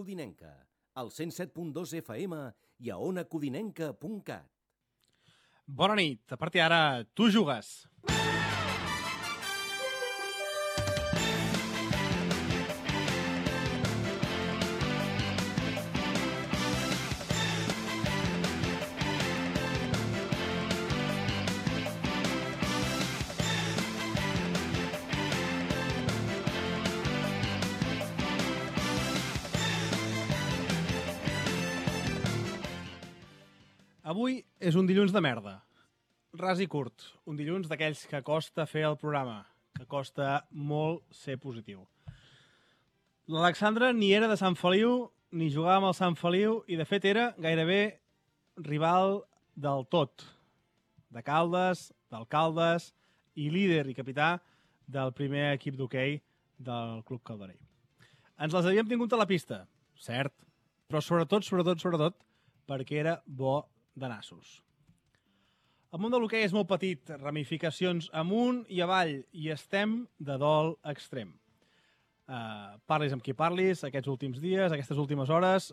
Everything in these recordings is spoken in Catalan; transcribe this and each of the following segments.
Codinenca, al 107.2 FM i a onacodinenca.cat. Bona nit, a partir d'ara tu jugues. Avui és un dilluns de merda. Ras i curt. Un dilluns d'aquells que costa fer el programa, que costa molt ser positiu. L'Alexandre ni era de Sant Feliu, ni jugava amb el Sant Feliu, i de fet era gairebé rival del tot. De Caldes, d'Alcaldes, i líder i capità del primer equip d'hoquei del Club Calderell. Ens les havíem tingut a la pista, cert, però sobretot, perquè era bo de nassos. El món de l'hoquei és molt petit, ramificacions amunt i avall, i estem de dol extrem. Parlis amb qui parlis, aquests últims dies, aquestes últimes hores,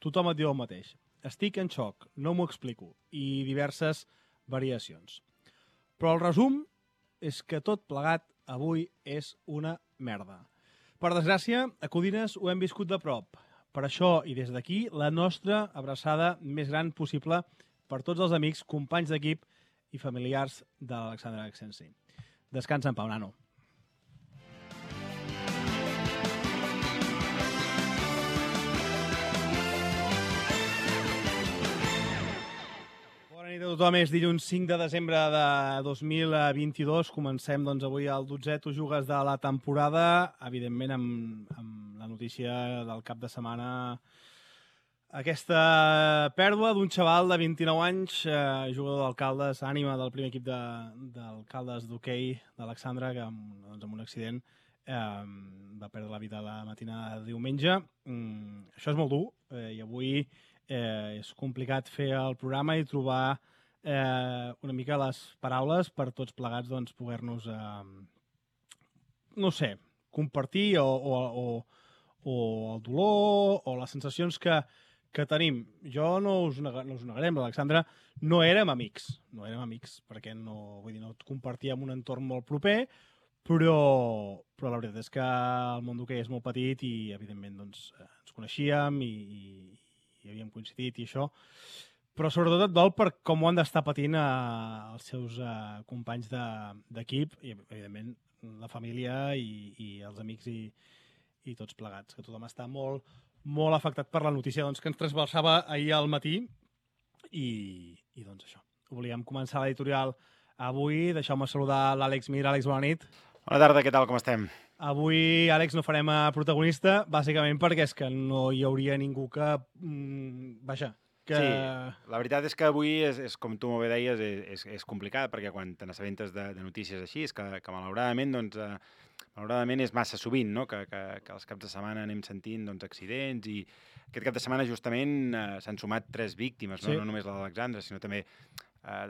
tothom et diu el mateix. Estic en xoc, no m'ho explico, i diverses variacions. Però el resum és que tot plegat avui és una merda. Per desgràcia, a Codines ho hem viscut de prop. Per això, i des d'aquí, la nostra abraçada més gran possible per tots els amics, companys d'equip i familiars de l'Alexandre Axensi. Descansa en pau, nano. Bona nit a tothom, és dilluns 5 de desembre de 2022. Comencem doncs, avui el 12è Tu jugues de la temporada, evidentment amb la notícia del cap de setmana. Aquesta pèrdua d'un xaval de 29 anys, jugador d'Alcaldes, ànima del primer equip d'Alcaldes d'hoquei d'Alexandre, que amb un accident va perdre la vida la matinada de diumenge. Això és molt dur i avui és complicat fer el programa i trobar una mica les paraules per tots plegats poder-nos, no sé, compartir o el dolor o les sensacions que tenim. Jo no us negarem, l'Alexandre no érem amics, perquè no et compartíem un entorn molt proper, però la veritat és que el món d'hoquei és molt petit i evidentment ens coneixíem i havíem coincidit i això, però sobretot et dol per com ho han d'estar patint els seus companys d'equip i evidentment la família i els amics i tots plegats, que tothom està molt afectat per la notícia que ens trasbalsava ahir al matí i doncs això. Volíem començar l'editorial avui. Deixeu-me saludar l'Àlex Mir. Àlex, bona nit. Bona tarda, què tal, com estem? Avui, Àlex, no farem protagonista, bàsicament perquè és que no hi hauria ningú que... Sí, la veritat és que avui, com tu molt bé deies, és complicat, perquè quan te n'assabentes de notícies així, és que malauradament, malauradament és massa sovint, no? que els caps de setmana anem sentint accidents i aquest cap de setmana justament s'han sumat 3 víctimes, no només la d'Alexandre, sinó també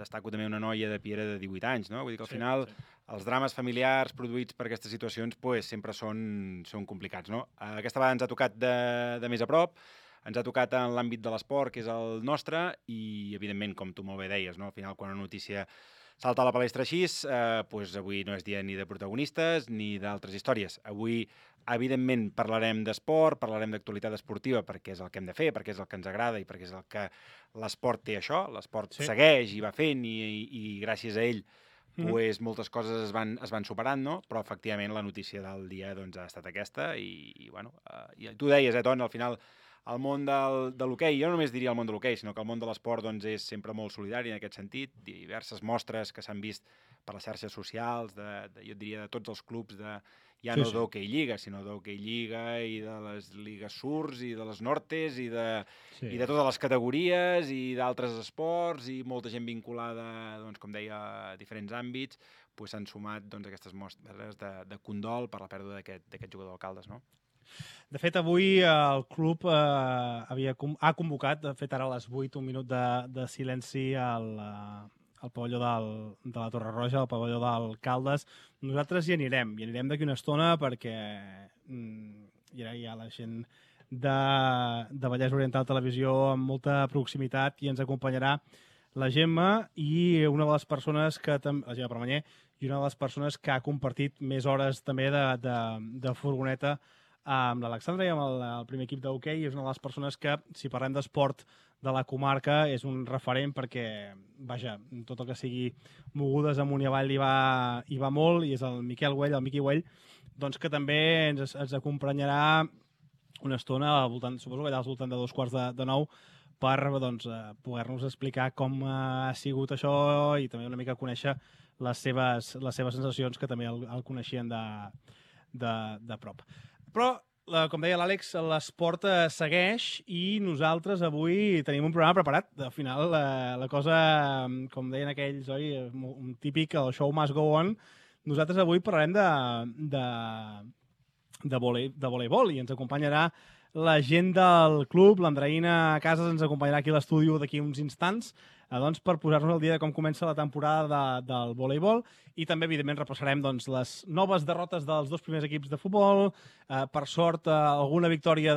destaco també una noia de Piera de 18 anys, no? Vull dir que al final els drames familiars produïts per aquestes situacions sempre són complicats, no? Aquesta vegada ens ha tocat de més a prop, ens ha tocat en l'àmbit de l'esport, que és el nostre, i evidentment, com tu molt bé deies, no? Al final quan una notícia salta a la palestra així, avui no és dia ni de protagonistes ni d'altres històries. Avui, evidentment, parlarem d'esport, parlarem d'actualitat esportiva, perquè és el que hem de fer, perquè és el que ens agrada i perquè és el que l'esport té això. L'esport segueix i va fent i gràcies a ell moltes coses es van superant, no? Però efectivament la notícia del dia ha estat aquesta i tu deies, Ton, al final el món de l'hoquei, jo no només diria el món de l'hoquei, sinó que el món de l'esport és sempre molt solidari en aquest sentit, diverses mostres que s'han vist per les xarxes socials, jo diria de tots els clubs, no d'hoquei lliga, sinó d'hoquei lliga i de les lligues surts i de les nortes i de totes les categories i d'altres esports i molta gent vinculada, com deia, a diferents àmbits, s'han sumat aquestes mostres de condol per la pèrdua d'aquest jugador d'Alcaldes, no? De fet, avui el club ha convocat, de fet ara a les 8, un minut de silenci al pavelló de la Torre Roja, al pavelló d'Alcaldes. Nosaltres hi anirem d'aquí una estona perquè ja la gent de Vallès Oriental Televisió amb molta proximitat, i ens acompanyarà la Gemma i una de les persones que la Gemma Permanyer, i una de les persones que ha compartit més hores també de furgoneta amb l'Alexandra i amb el primer equip d'hoquei. És una de les persones que, si parlem d'esport de la comarca, és un referent perquè, vaja, tot el que sigui mogudes amunt i avall hi va molt, i és el Miqui Güell, doncs que també ens acompanyarà una estona, suposo que allà al voltant de 8:45, per poder-nos explicar com ha sigut això i també una mica conèixer les seves sensacions, que també el coneixien de prop. Però, com deia l'Àlex, l'esport segueix i nosaltres avui tenim un programa preparat. Al final, la cosa, com deien aquells, oi, un típic, el show must go on. Nosaltres avui parlarem de voleibol i ens acompanyarà la gent del club. L'Andreïna Casas ens acompanyarà aquí a l'estudi d'aquí uns instants, doncs, per posar-nos al dia de com comença la temporada del voleibol, i també, evidentment, repassarem les noves derrotes dels dos primers equips de futbol, per sort alguna victòria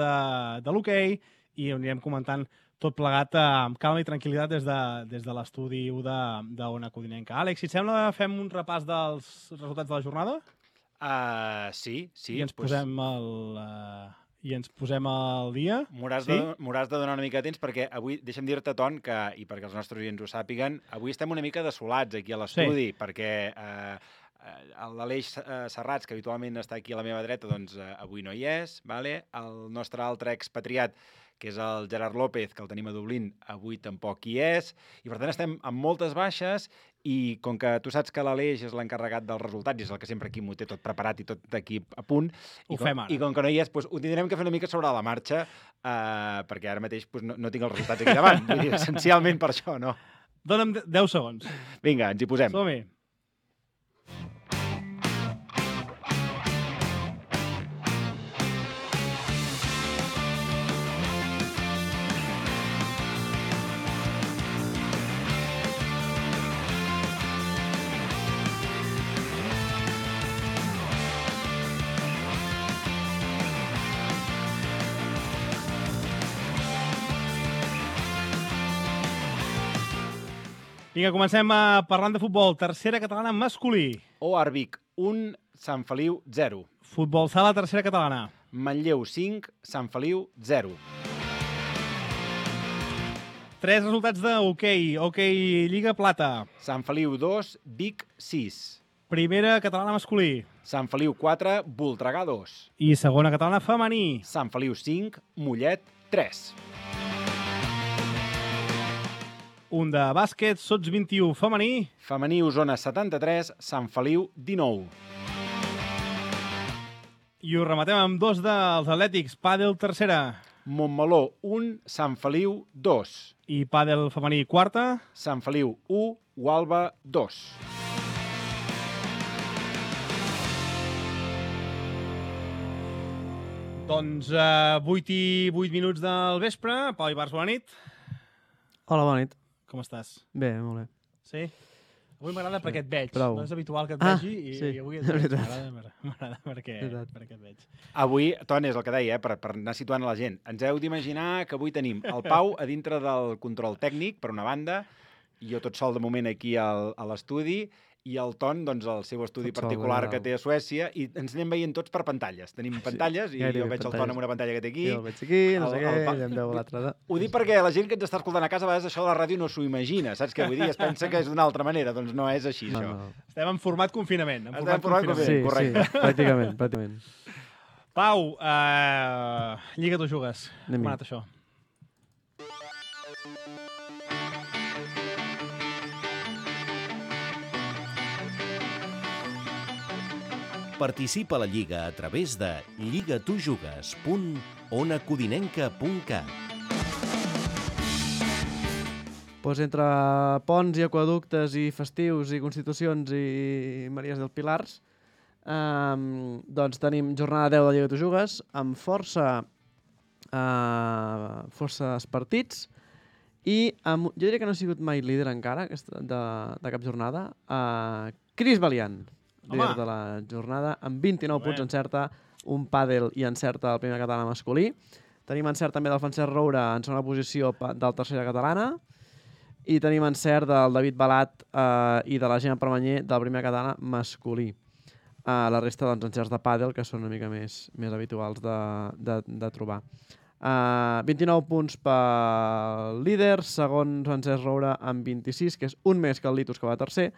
de l'hoquei, i anirem comentant tot plegat amb calma i tranquil·litat des de l'estudi d'Ona Codinenca. Àlex, si et sembla, fem un repàs dels resultats de la jornada? Sí. I ens posem al dia. M'hauràs de donar una mica de temps, perquè avui, deixa'm dir-te, Ton, i perquè els nostres oients ho sàpiguen, avui estem una mica desolats aquí a l'estudi, perquè l'Aleix Serrats, que habitualment està aquí a la meva dreta, doncs avui no hi és. El nostre altre expatriat, que és el Gerard López, que el tenim a Dublín, avui tampoc hi és. I per tant estem amb moltes baixes, i com que tu saps que l'Aleix és l'encarregat dels resultats i és el que sempre aquí m'ho té tot preparat i tot aquí a punt, i com que no hi és, doncs, ho tindrem que fer una mica sobre la marxa, perquè ara mateix no tinc els resultats aquí davant. Vull dir, essencialment per això, no? Dóna'm 10 segons. Vinga, ens hi posem. Som-hi. Vinga, comencem parlant de futbol. Tercera catalana masculí. OAR Vic 1, Sant Feliu 0. Futbol sala, tercera catalana. Manlleu 5, Sant Feliu 0. 3 resultats d'hoquei. Hoquei Lliga Plata. Sant Feliu 2, Vic 6. Primera catalana masculí. Sant Feliu 4, Voltregà 2. I segona catalana femení. Sant Feliu 5, Mollet 3. Un de bàsquet, Sots 21 femení. Femení Osona 73, Sant Feliu 19. I ho rematem amb 2 dels atlètics. Pàdel tercera. Montmeló 1, Sant Feliu 2. I pàdel femení quarta. Sant Feliu 1, Gualba 2. Doncs 8 i 8 minuts del vespre. Pau Ibars, bona nit. Hola, bona nit. Com estàs? Bé, molt bé. Sí? Avui m'agrada perquè et veig. Prou. No és habitual que et vegi sí, i avui m'agrada perquè et veig. Avui, Ton, és el que deia, per anar situant a la gent. Ens heu d'imaginar que avui tenim el Pau a dintre del control tècnic, per una banda, i jo tot sol de moment aquí a l'estudi, i el Ton, doncs, el seu estudi particular que té a Suècia, i ens anem veient tots per pantalles. Tenim pantalles, i jo veig el Ton amb una pantalla que té aquí. Jo el veig aquí, no sé què, i em veu l'altra. Ho dic perquè la gent que ens està escoltant a casa, a vegades això de la ràdio no s'ho imagina, saps què vull dir? Es pensa que és d'una altra manera, doncs no és així, això. No. Estem en format confinament. Estem en format confinament, sí, correcte. Sí, pràcticament. Pau, Lliga tu jugues. Anem-hi. Com ha anat això? Participa a la Lliga a través de lligatujugues.onacodinenca.cat. Doncs entre ponts i aquaductes i festius i constitucions i Maries del Pilars, doncs tenim jornada 10 de Lliga tu jugues amb forces partits i jo diria que no ha sigut mai líder encara de cap jornada, Cris Valiant. Líder de la jornada, amb 29 punts encerta, un pàdel i encerta el primer català masculí. Tenim encert també del Francesc Roure en segona posició del tercera catalana. I tenim encert del David Balat i de la Gemma Permanyer del primer català masculí. La resta, doncs, encerts de pàdel, que són una mica més habituals de trobar. 29 punts pel líder, segon Francesc Roure amb 26, que és un més que el Litus, que va tercer.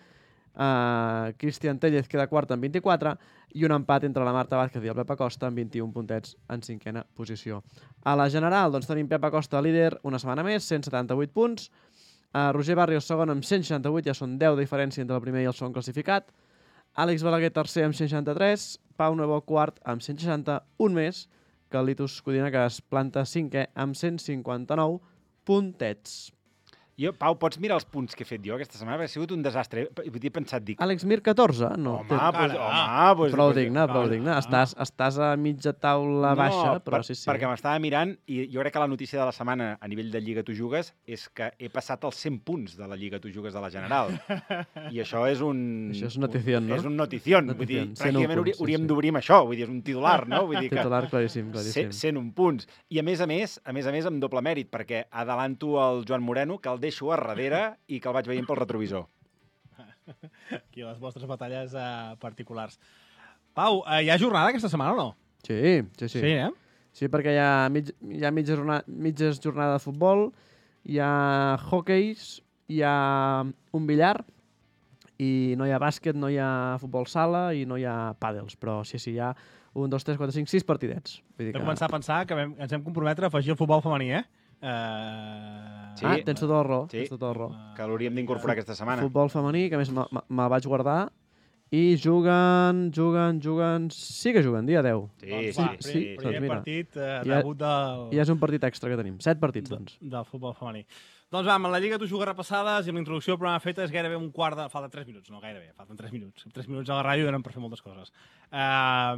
Cristian Tellez queda quart amb 24 i un empat entre la Marta Vázquez i el Pep Acosta amb 21 puntets en cinquena posició. A la general, doncs, tenim Pep Acosta líder una setmana més, 178 punts. Roger Barrios segon amb 168, ja són 10 de diferència entre el primer i el segon classificat. Àlex Balaguer tercer amb 163, Pau Nuevo quart amb 160, un més que el Litus Codina, que es planta cinquè amb 159 puntets. Pau, pots mirar els punts que he fet jo aquesta setmana? Perquè ha sigut un desastre. He pensat, dic... Àlex Mir, 14? No. Home, prou digne. Estàs a mitja taula baixa, però sí. Perquè m'estava mirant i jo crec que la notícia de la setmana a nivell de Lliga Tu Jugues és que he passat els 100 punts de la Lliga Tu Jugues de la General. I això és un... Això és notición, no? És un notición. Vull dir, pràcticament hauríem d'obrir amb això. Vull dir, és un titular, no? Vull dir que... Titular claríssim. 101 punts. I a més, amb doble mèrit, perquè adelanto el Joan Moreno, que el deixo a darrere i que el vaig veient pel retrovisor. Aquí les vostres batalles particulars. Pau, hi ha jornada aquesta setmana o no? Sí. Sí, eh? Sí, perquè hi ha mitja jornada de futbol, hi ha hockeys, hi ha un billar, i no hi ha bàsquet, no hi ha futbol sala i no hi ha pàdels, però sí, hi ha 1, 2, 3, 4, 5, 6 partidets. Vull dir que... començar a pensar que ens hem comprometre a afegir el futbol femení, eh? Sí, tens tota la raó. Sí, que l'hauríem d'incorporar aquesta setmana. Futbol femení, que a més me'l vaig guardar, i juguen... Sí que juguen, dia 10. Sí. Primer partit, debut del... Ja és un partit extra que tenim. 7 partits, doncs. Del futbol femení. Doncs va, amb la Lliga Tu Jugues repassades i amb l'introducció del programa feta és gairebé un quart de... Falten 3 minuts, no gairebé, falten 3 minuts. 3 minuts a la ràdio donen per fer moltes coses. 3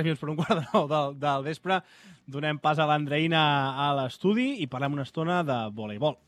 minuts per un quart de 9 del vespre donem pas a l'Andreina a l'estudi i parlem una estona de voleibol.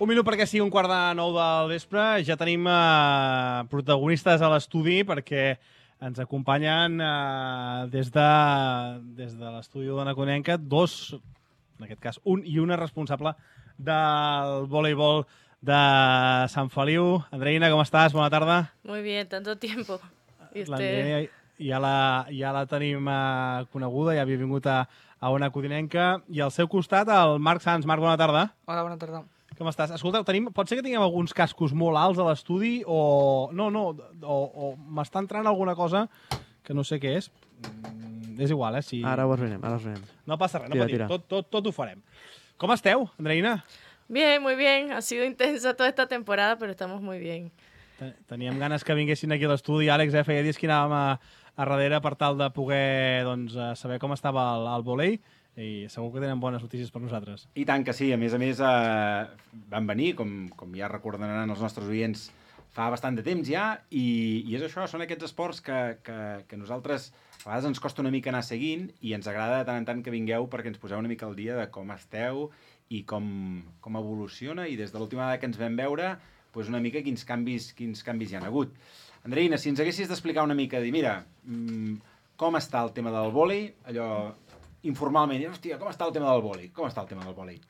Un minut perquè sigui un quart de 9 del vespre. Ja tenim protagonistes a l'estudi perquè ens acompanyen des de l'estudi d'Ona Codinenca dos, en aquest cas un i una responsable del voleibol de Sant Feliu. Andreina, com estàs? Bona tarda. Muy bien, tanto tiempo. L'Andreina ja la tenim coneguda, ja havia vingut a Ona Codinenca. I al seu costat, el Marc Sans. Marc, bona tarda. Hola, bona tarda. Com estàs? Escolta, pot ser que tinguem alguns cascos molt alts a l'estudi o m'està entrant alguna cosa que no sé què és. És igual, eh? Si... Ara ho esmenem. No passa res, no patim. Tot ho farem. Com esteu, Andreina? Bien, muy bien. Ha sido intensa toda esta temporada, pero estamos muy bien. Teníem ganes que vinguessin aquí a l'estudi, Àlex, feia dies que anàvem a darrere per tal de poder saber com estava el vòlei. I segur que tenen bones notícies per nosaltres. I tant que sí. A més, van venir, com ja recordaran els nostres oients, fa bastant de temps ja, i és això, són aquests esports que nosaltres a vegades ens costa una mica anar seguint i ens agrada de tant en tant que vingueu perquè ens poseu una mica al dia de com esteu i com evoluciona, i des de l'última vegada que ens vam veure, una mica quins canvis hi ha hagut. Andreina, si ens haguessis d'explicar una mica, dir, mira, com està el tema del vòlei, allò... informalment, hostia, ¿cómo está el tema del vóley? ¿Cómo está el tema del vóley?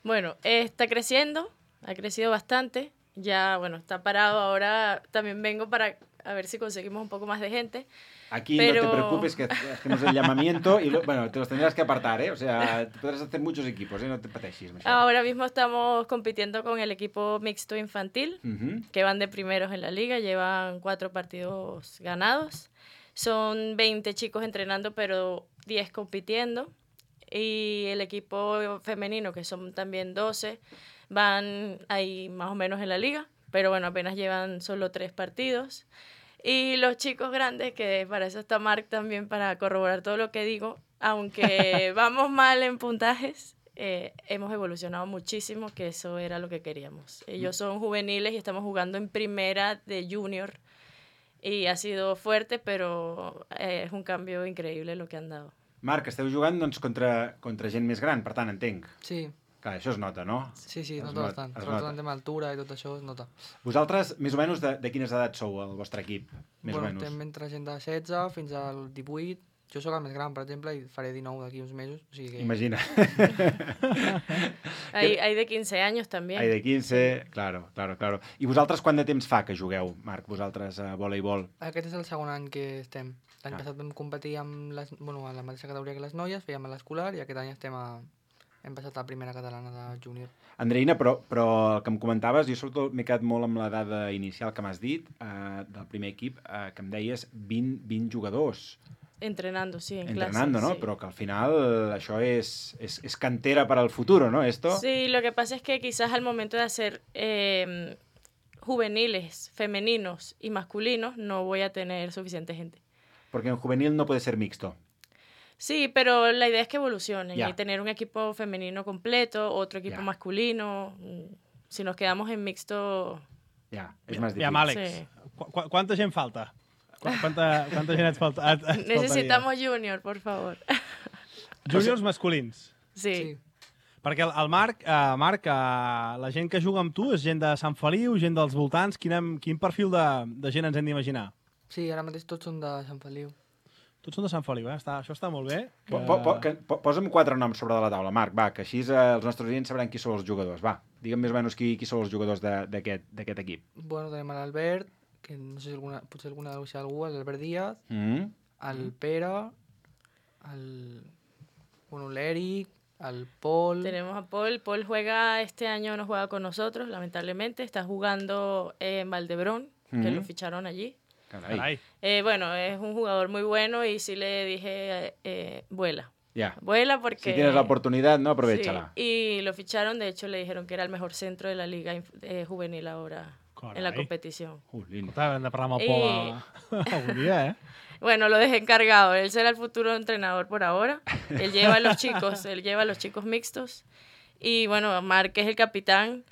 Bueno, está creciendo, ha crecido bastante. Ya, bueno, está parado. Ahora también vengo para a ver si conseguimos un poco más de gente. Aquí pero... no te preocupes, que hacemos el llamamiento y bueno, te los tendrás que apartar, ¿eh? O sea, podrás hacer muchos equipos, ¿eh? No te pateixis. Ahora mismo estamos compitiendo con el equipo mixto infantil, que van de primeros en la liga, llevan 4 partidos ganados. Son 20 chicos entrenando, pero 10 compitiendo. Y el equipo femenino, que son también 12, van ahí más o menos en la liga, pero bueno, apenas llevan solo 3 partidos. Y los chicos grandes, que para eso está Marc también, para corroborar todo lo que digo, aunque vamos mal en puntajes, hemos evolucionado muchísimo, que eso era lo que queríamos. Ellos son juveniles y estamos jugando en primera de junior, y ha sido fuerte, pero es un cambio increíble lo que han dado. Marc, esteu jugant doncs, contra gent més gran, per tant, entenc. Sí. Clar, això es nota, no? Sí, nota bastant. Sobretot en tema d'altura i tot això es nota. Vosaltres, més o menys, de quines edats sou, el vostre equip? Més o menys. Estem entre gent de 16 fins al 18. Jo sóc el més gran, per exemple, i faré 19 d'aquí uns mesos. O sigui que... Imagina. Hay de 15 anys també. Hay de 15, claro. I vosaltres quant de temps fa que jugueu, Marc, vosaltres, a voleibol? Aquest és el segon any que estem. L'any passat vam competir amb a la mateixa categoria que les noies, fèiem a l'escolar, i aquest any hem passat a la primera catalana de júnior. Andreina, però el que em comentaves, jo sobretot m'he quedat molt amb la dada inicial que m'has dit, del primer equip, que em deies 20 jugadors. Entrenando, sí, en Entrenando, clases, ¿no? sí. Pero que al final això es cantera para el futuro, ¿no? Esto. Sí, lo que pasa es que quizás al momento de hacer juveniles, femeninos y masculinos, no voy a tener suficiente gente. Porque en juvenil no puede ser mixto. Sí, pero la idea es que evolucionen Ya. y tener un equipo femenino completo, otro equipo Ya. masculino. Si nos quedamos en mixto... Ja, és més difícil. Ja, Àlex, Sí. quanta gent falta? Quanta gent et falta? Necesitamos junior, por favor. Júniors masculins. Sí. Perquè el Marc, la gent que juga amb tu és gent de Sant Feliu, gent dels voltants. Quin perfil de gent ens hem d'imaginar? Sí, ara mateix tots són de Sant Feliu. Tots són de Sant Feliu, eh? Això està molt bé. Posa'm 4 noms sobre la taula, Marc, va, que així els nostres oients sabran qui són els jugadors. Va, digue'm més o menys qui són els jugadors d'aquest equip. Bueno, tenim l'Albert, que no sé si potser alguna deu ser algú, l'Albert Díaz, el Pere, l'Eric, el Paul... Tenemos a Paul. Paul juega, este año no juega con nosotros, lamentablemente. Está jugando en Valdebrón, que lo ficharon allí. Carai. Bueno, es un jugador muy bueno y sí le dije, vuela. Ja. Vuela porque... Si tienes la oportunidad, no, aprovéchala. Sí, y lo ficharon, de hecho le dijeron que era el mejor centro de la liga juvenil ahora. Carai. En la competición. Lindo. Hem de parlar amb el Pol algun dia, eh? Bueno, lo dejé encargado. Él será el futuro entrenador por ahora. Él lleva a los chicos mixtos. Y bueno, Marc es el capitán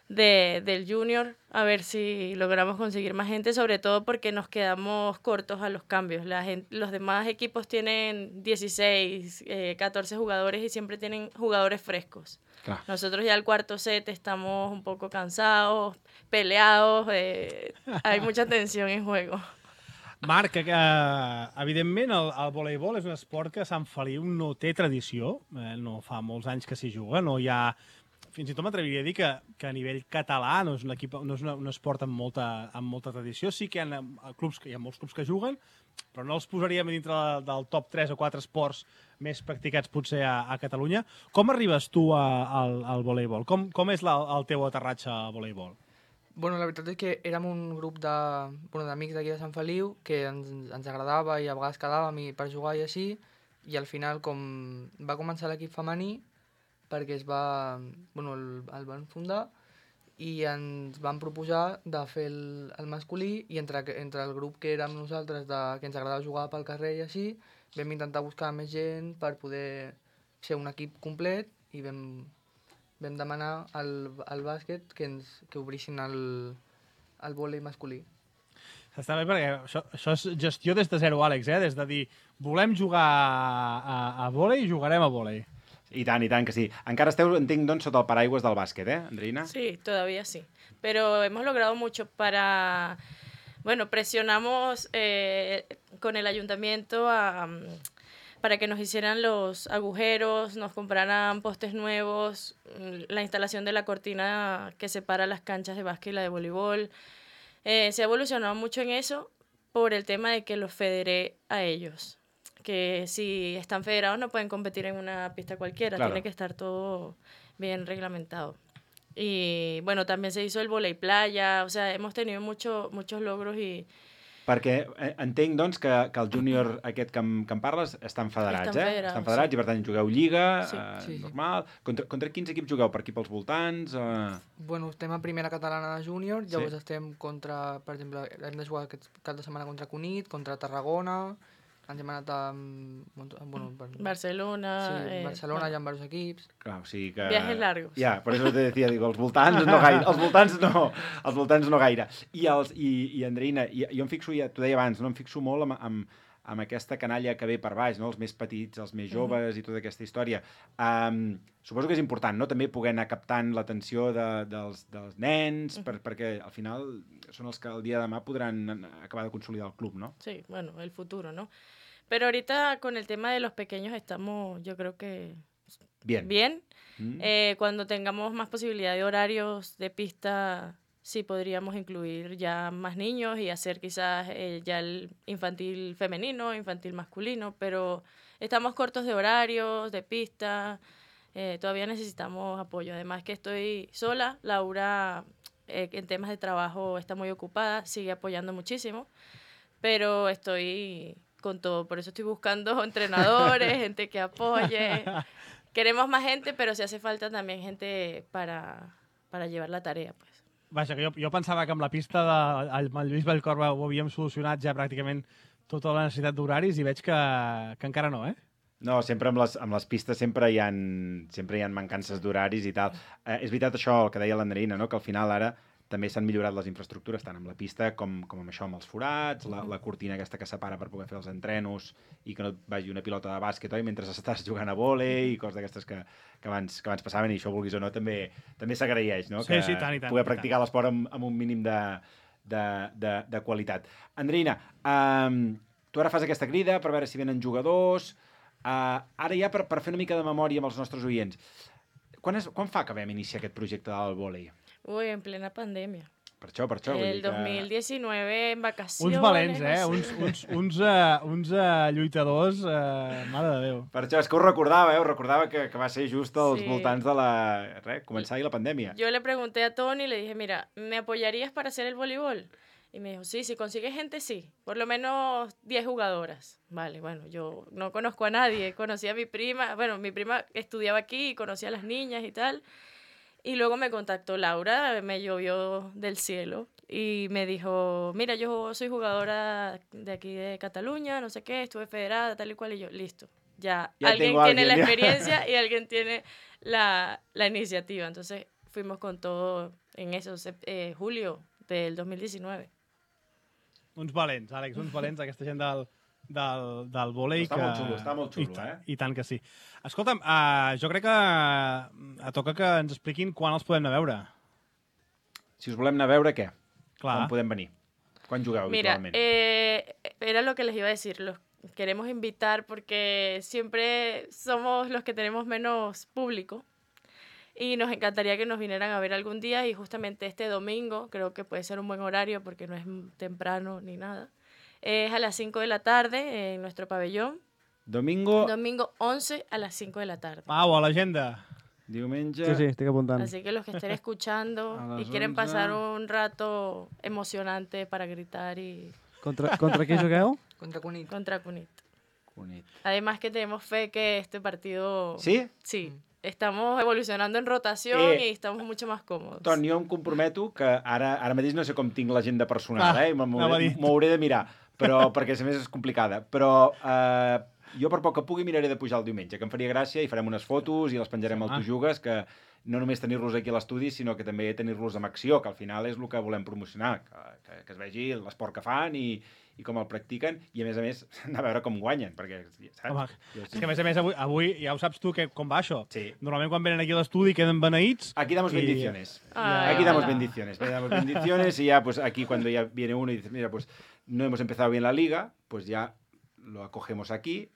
del junior. A ver si logramos conseguir más gente, sobre todo porque nos quedamos cortos a los cambios. Los demás equipos tienen 16, 14 jugadores y siempre tienen jugadores frescos. Clar. Nosotros ya al cuarto set estamos un poco cansados, peleados, hay mucha tensión en juego. Marc, evidentment el voleibol és un esport que a Sant Feliu no té tradició, no fa molts anys que s'hi juga, no hi ha... Fins i tot m'atreviria a dir que a nivell català no és un esport amb molta tradició. Sí que hi ha molts clubs que juguen, però no els posaríem dintre del top 3 o 4 esports més practicats potser a Catalunya. Com arribes tu al voleibol? Com és el teu aterratge al voleibol? Bueno, la veritat és que érem un grup d'amics d'aquí de Sant Feliu que ens agradava i a vegades quedàvem per jugar i així, i al final, com va començar l'equip femení, perquè el van fundar i ens van proposar de fer el masculí, i entre el grup que érem nosaltres, que ens agradava jugar pel carrer i així, vam intentar buscar més gent per poder ser un equip complet, i vam demanar al bàsquet que obrissin el vòlei masculí. Està bé perquè això és gestió des de zero, Àlex, des de dir volem jugar a vòlei i jugarem a vòlei. I tant que sí. Encara esteu, entenc, doncs, sota el paraigües del bàsquet, Andreina? Sí, todavía sí. Pero hemos logrado mucho para... Bueno, presionamos con el ayuntamiento para que nos hicieran los agujeros, nos compraran postes nuevos, la instalación de la cortina que separa las canchas de básquet y la de voleibol. Se ha evolucionado mucho en eso por el tema de que los federé a ellos. Que si están federados no pueden competir en una pista cualquiera, Claro. tiene que estar todo bien reglamentado. Y bueno, también se hizo el vóley playa, o sea, hemos tenido muchos logros y... Perquè entenc, doncs, que el júnior aquest que em parles estan federats, Estan federats sí. I, per tant, jugueu lliga, Sí. normal. Contra quins equips jugueu? Per aquí pels voltants? Bueno, estem a primera catalana de júnior, llavors Sí. estem contra, per exemple, hem de jugar aquest cap de setmana contra Cunit, contra Tarragona, ens hem anat a... Bueno, Barcelona... Sí, Barcelona hi ha diversos equips. Clar, o sigui que... Viajes largos. Ja, per això te decía, digo, els voltants no gaire. Els voltants no gaire. I Andreina, jo em fixo, ja t'ho deia abans, no? Em fixo molt amb aquesta canalla que ve per baix, no? Els més petits, els més joves i tota aquesta història. Suposo que és important, no? També poder anar captant l'atenció dels nens, perquè al final són els que el dia de demà podran acabar de consolidar el club, ¿no? Sí, bueno, el futuro, ¿no? Pero ahorita con el tema de los pequeños estamos, yo creo que bien. Cuando tengamos más posibilidad de horarios de pista, sí podríamos incluir ya más niños y hacer quizás ya el infantil femenino, infantil masculino, pero estamos cortos de horarios, de pista, todavía necesitamos apoyo. Además que estoy sola, Laura en temas de trabajo está muy ocupada, sigue apoyando muchísimo, pero estoy con todo, por eso estoy buscando entrenadores, gente que apoye. Queremos más gente, pero si hace falta también gente para llevar la tarea, pues. Vaja, que jo pensava que amb la pista amb el Lluís Vallcorba ho havíem solucionat ja pràcticament tota la necessitat d'horaris i veig que encara no, eh? No, sempre amb les pistes sempre hi ha mancances d'horaris i tal. És veritat això, el que deia l'Andreina, no? Que al final ara també s'han millorat les infraestructures, tant amb la pista com amb això, amb els forats, la cortina aquesta que separa per poder fer els entrenos i que no et vagi una pilota de bàsquet, oi? Mentre estàs jugant a vòlei i coses d'aquestes que abans passaven, i això, vulguis o no, també s'agraeix, no? Sí, sí, tant i tant. Poder practicar l'esport amb un mínim de qualitat. Andreina, tu ara fas aquesta crida per veure si venen jugadors. Ara ja per fer una mica de memòria amb els nostres oients, quan fa que vam iniciar aquest projecte del vòlei? Uy, en plena pandemia. Per això. El 2019, en vacaciones. Uns valents, uns lluitadors, mare de Déu. Per això, és que ho recordava que va ser just als voltants de començar ahí la pandèmia. Yo le pregunté a Tony y le dije, mira, ¿me apoyarías para hacer el voleibol? Y me dijo, sí, si consigues gente, sí. Por lo menos 10 jugadoras. Vale, bueno, yo no conozco a nadie. Conocí a mi prima. Bueno, mi prima estudiaba aquí y conocía a las niñas y tal. Y luego me contactó Laura, me llovió del cielo y me dijo, mira, yo soy jugadora de aquí de Cataluña, no sé qué, estuve federada, tal y cual, y yo, listo. Ya alguien tiene la experiencia y alguien tiene la iniciativa. Entonces fuimos con todo en eso, julio del 2019. Uns valents, Àlex, uns valents, aquesta gent del vòlei. Està molt xulo, I tant que sí. Escolta'm, jo crec que toca que ens expliquin quan els podem anar a veure. Si us volem anar a veure, què? Clar. Quan podem venir? Quan jugueu habitualment? Era lo que les iba a decir, los queremos invitar porque siempre somos los que tenemos menos público y nos encantaría que nos vinieran a ver algún día y justamente este domingo creo que puede ser un buen horario porque no es temprano ni nada. Es a las 5 de la tarde en nuestro pabellón. Domingo 11 a las 5 de la tarde. Pau, a l'agenda. Diumenge... Sí, estic apuntant. Así que los que estén escuchando y quieren pasar un rato emocionante para gritar y... Contra qui jugueu? Contra Cunit. Contra Cunit. Cunit. Además que tenemos fe que este partido... Sí? Sí. Estamos evolucionando en rotación y estamos mucho más còmodes. Ton, jo em comprometo que ara mateix no sé com tinc l'agenda personal, m'ho hauré de mirar, però perquè a més és complicada. Però jo per poc que pugui miraré de pujar el diumenge, que em faria gràcia, i farem unes fotos i les penjarem al Tu Jugues, que no només tenir-los aquí a l'estudi, sinó que també tenir-los en acció, que al final és el que volem promocionar, que es vegi l'esport que fan i com el practiquen, i a més anar a veure com guanyen, perquè, saps? Home, és que a més avui ja ho saps tu com va això. Sí. Normalment quan venen aquí a l'estudi queden beneïts. Aquí damos bendiciones. Ay, Aquí damos ojalá. bendiciones y ya pues aquí cuando ya viene uno y dice, mira, pues no hemos empezado bien la liga, pues ya lo acogemos aquí,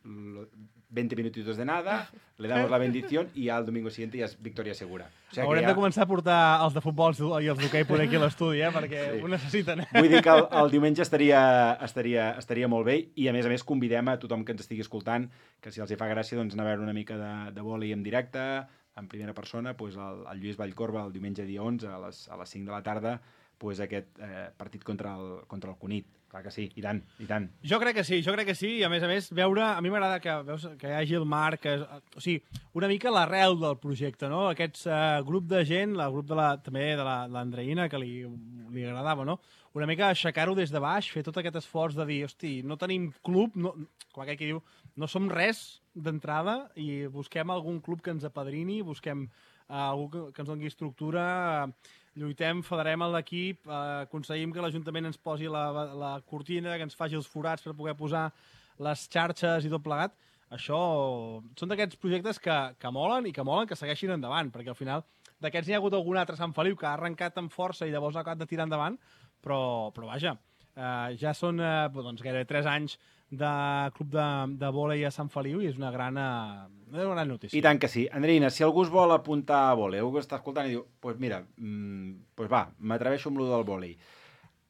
20 minutitos de nada, le damos la bendición y ya el domingo siguiente ja és victòria segura. O sigui Haurem de començar a portar els de futbol i els d'hoquei poder aquí a l'estudi, perquè ho necessiten. Vull dir que el diumenge estaria molt bé i, a més, convidem a tothom que ens estigui escoltant que si els hi fa gràcia doncs, anar a veure una mica de vòlei en directe, en primera persona, doncs, el Lluís Vallcorba el diumenge dia 11 a les 5 de la tarda, doncs, aquest partit contra el Cunit. Clar que sí, i tant, i tant. Jo crec que sí, i a més, veure, a mi m'agrada que hi hagi el Marc, o sigui, una mica l'arrel del projecte, no? Aquest grup de gent, el grup també de l'Andreïna, que li agradava, no? Una mica aixecar-ho des de baix, fer tot aquest esforç de dir, hosti, no tenim club, com aquell que diu, no som res d'entrada i busquem algun club que ens apadrini, busquem algú que ens doni estructura, lluitem, federem l'equip, aconseguim que l'Ajuntament ens posi la cortina, que ens faci els forats per poder posar les xarxes i tot plegat. Això són d'aquests projectes que molen i que molen que segueixin endavant, perquè al final d'aquests n'hi ha hagut algun altre a Sant Feliu que ha arrencat amb força i llavors ha acabat de tirar endavant, però vaja, ja són gairebé 3 anys de club de vòlei a Sant Feliu i és una gran notícia. I tant que sí. Andreïna, si algú es vol apuntar a vòlei, algú està escoltant i diu, doncs mira, va, m'atreveixo amb lo del vòlei.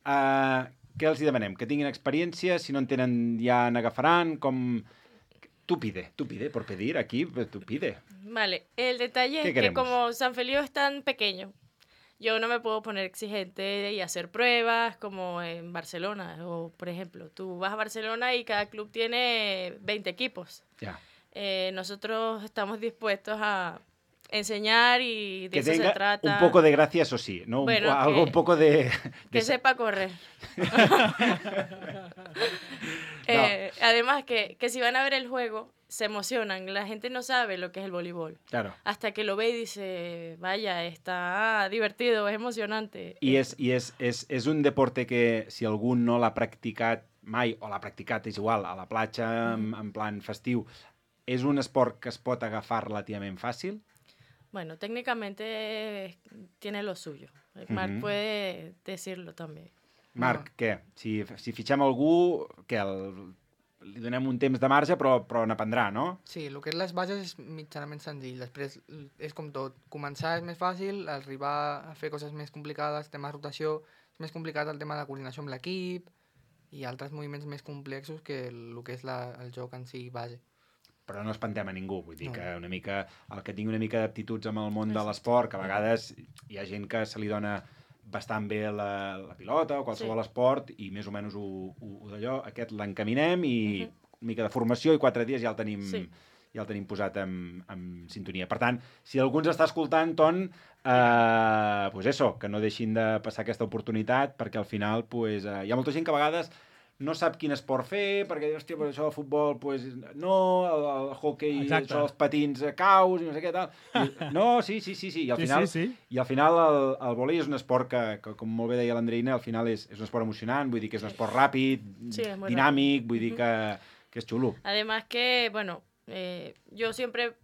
Què els demanem? Que tinguin experiència, si no en tenen ja n'agafaran, com... Tú pide, por pedir, aquí, tú pide. Vale, el detalle es que como San Feliu es tan pequeño, yo no me puedo poner exigente y hacer pruebas como en Barcelona. O, por ejemplo, tú vas a Barcelona y cada club tiene 20 equipos. Ya. Nosotros estamos dispuestos a enseñar y de eso se trata. Un poco de gracia, eso sí, ¿no? Bueno, algo un poco de... Que sepa correr. Además que si van a ver el juego, se emocionan. La gente no sabe lo que es el voleibol. Claro. Hasta que lo ve y dice, vaya, está divertido, es emocionante. I és un deporte que, si algú no l'ha practicat mai, o l'ha practicat, és igual, a la platja, en plan festiu, és un esport que es pot agafar relativament fàcil? Bueno, técnicamente tiene lo suyo. Marc puede decirlo también. Marc, què? Si fitxem algú, què? Li donem un temps de marge, però n'aprendrà, no? Sí, el que és les bases és mitjanament senzill. Després és com tot. Començar és més fàcil, arribar a fer coses més complicades, tema de rotació, és més complicat el tema de coordinació amb l'equip i altres moviments més complexos que el que és el joc en si base. Però no espantem a ningú, vull dir que una mica, el que tingui una mica d'aptituds amb el món de l'esport, que a vegades hi ha gent que se li dona bastant bé la pilota o qualsevol esport i més o menys d'allò, aquest l'encaminem i una mica de formació i 4 dies ja el tenim posat en sintonia. Per tant, si algú ens està escoltant, Ton, pues eso, que no deixin de passar aquesta oportunitat perquè al final pues, hi ha molta gent que a vegades no sap quin esport fer, perquè, hòstia, per això el futbol, pues, no, el hockey, això, els patins caus, i no sé què tal. No, sí, i al final el vòlei és un esport que, com molt bé deia l'Andreïna, al final és un esport emocionant, vull dir que és un esport ràpid, dinàmic, vull dir que es xulo. Además que, bueno, yo siempre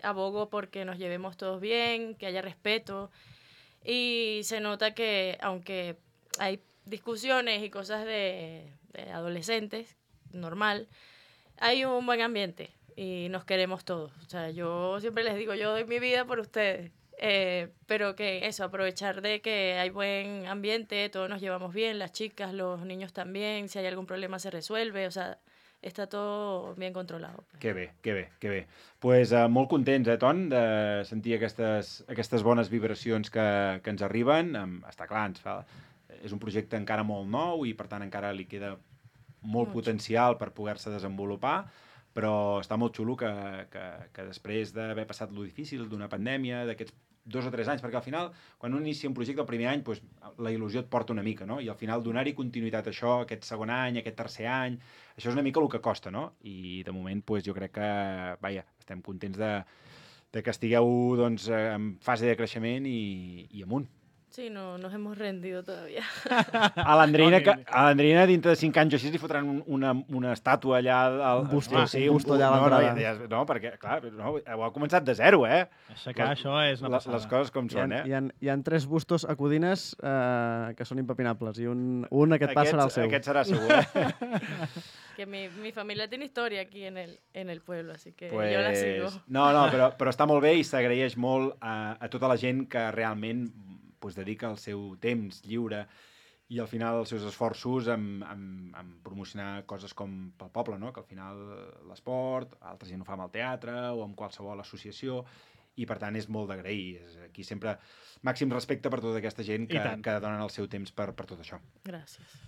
abogo porque nos llevemos todos bien, que haya respeto, y se nota que, aunque hay discusiones y cosas de adolescentes, normal, hay un buen ambiente y nos queremos todos. O sea, yo siempre les digo, yo doy mi vida por ustedes, pero que eso, aprovechar de que hay buen ambiente, todos nos llevamos bien, las chicas, los niños también, si hay algún problema se resuelve, o sea, està tot ben controlat. Que bé. Pues, molt contents, Ton, de sentir aquestes bones vibracions que ens arriben. Està clar, és un projecte encara molt nou i, per tant, encara li queda molt potencial per poder-se desenvolupar, però està molt xulo que després d'haver passat lo difícil d'una pandèmia, d'aquests 2 o 3 anys, perquè al final, quan un inicia un projecte el primer any, pues, la il·lusió et porta una mica, no? I al final donar-hi continuïtat a això, aquest segon any, aquest tercer any, això és una mica el que costa, no? I de moment, pues, jo crec que, vaja, estem contents de que estigueu, doncs, en fase de creixement i amunt. Sí, no nos hemos rendido todavía. A l'Andreina dintre de 5 anys o així li fotran una estàtua allà... Un busto allà a l'entrada. No, perquè, clar, ho ha començat de zero, Aixecar això és una passada. Les coses com són, Hi ha 3 bustos a Codines que són impepinables i un aquest pas serà el seu. Aquest serà segur, Que mi familia tiene historia aquí en el pueblo, así que yo la sigo. No, però està molt bé i s'agraeix molt a tota la gent que realment dedica el seu temps lliure i al final els seus esforços en promocionar coses com pel poble, no? Que al final l'esport, altra gent ho fa amb el teatre o amb qualsevol associació i per tant és molt d'agrair. Aquí sempre màxim respecte per tota aquesta gent que donen el seu temps per tot això. Gràcies.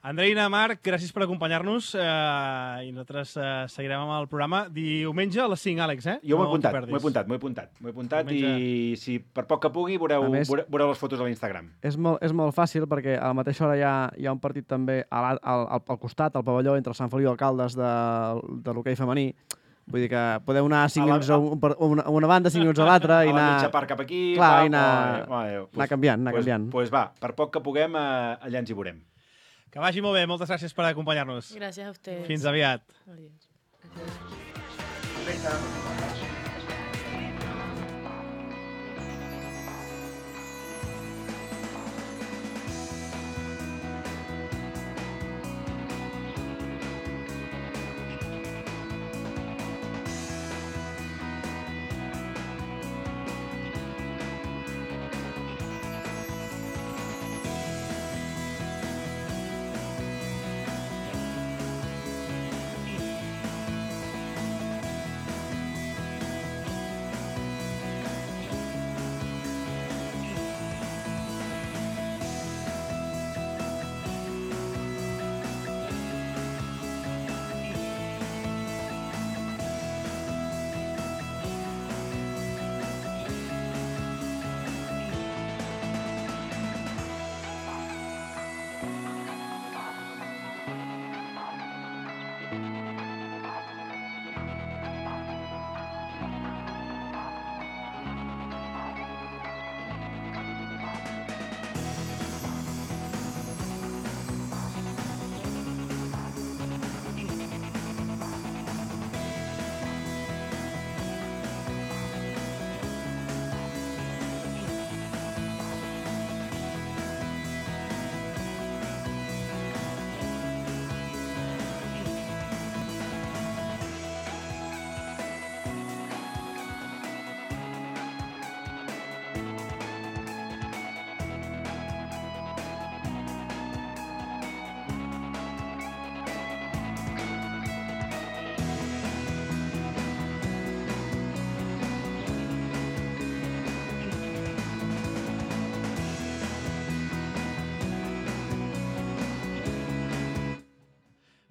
Andreina, Marc, gràcies per acompanyar-nos i nosaltres seguirem amb el programa diumenge a les 5, Àlex, Jo m'ho he apuntat i si per poc que pugui veureu les fotos a l'Instagram. És molt fàcil perquè a la mateixa hora hi ha un partit també al costat, al pavelló, entre el Sant Feliu i Alcaldes de l'hoquei femení. Vull dir que podeu anar 5 minuts a una banda, 5 minuts a l'altra i anar... A la mitja part cap aquí... Clar, i anar canviant. Doncs va, per poc que puguem, allà ens hi veurem. Que vagi molt bé, moltes gràcies per acompanyar-nos. Gràcies a ustedes. Fins aviat. Adiós.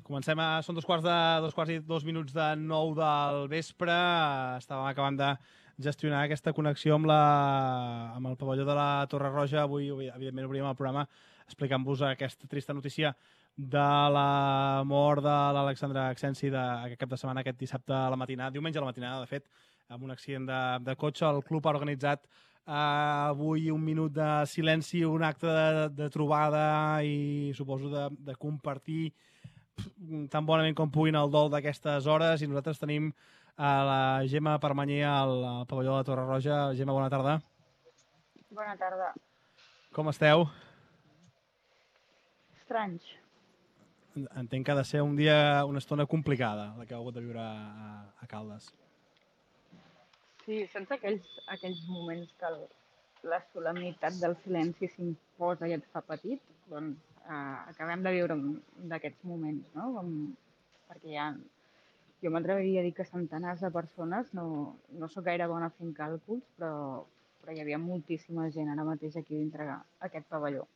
Comencem són 2:02 de 9 del vespre. Estàvem acabant de gestionar aquesta connexió amb el pavelló de la Torre Roja. Avui, evidentment, obrim el programa explicant-vos aquesta trista notícia de la mort de l'Alexandra Acsensi aquest cap de setmana, aquest dissabte a la matinada, diumenge a la matinada, de fet, amb un accident de cotxe. El club ha organitzat avui un minut de silenci, un acte de trobada i suposo de compartir tan bonament com puguin el dol d'aquestes hores, i nosaltres tenim la Gemma Permanyer al pavelló de la Torre Roja. Gemma, bona tarda. Bona tarda. Com esteu? Estranys. Entenc que ha de ser una estona complicada, la que heu hagut de viure a Caldes. Sí, sense aquells moments que la solemnitat del silenci s'imposa i et fa petit, doncs acabem de viure un d'aquests moments, no? Perquè jo m'atreviria a dir que centenars de persones, no sóc gaire bona fent càlculs, però hi havia moltíssima gent ara mateix aquí dintre aquest pavelló.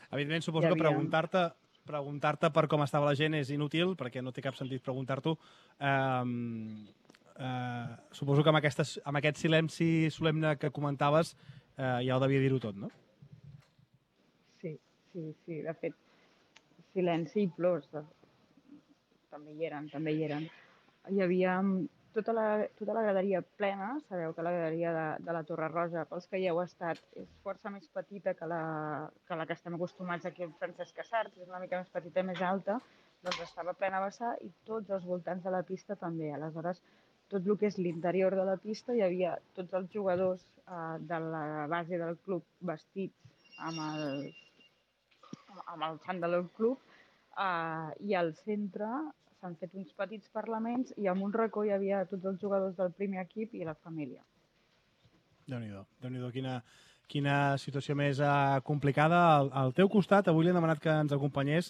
Evidentment, suposo que preguntar-te per com estava la gent és inútil, perquè no té cap sentit preguntar-t'ho. Suposo que amb aquest silenci solemne que comentaves ja ho devia dir-ho tot, no? Sí, de fet, silenci i plors també hi eren. Hi havia tota la graderia plena. Sabeu que la graderia de la Torre Roja, pels que hi heu estat, és força més petita que la que estem acostumats aquí al Francesc Casart, és una mica més petita i més alta, doncs estava plena a vessar i tots els voltants de la pista també. Aleshores, tot el que és l'interior de la pista hi havia tots els jugadors de la base del club vestits amb el xandall del club, i al centre s'han fet uns petits parlaments i en un racó hi havia tots els jugadors del primer equip i la família. Déu-n'hi-do, quina situació més complicada. Al teu costat, avui li hem demanat que ens acompanyés.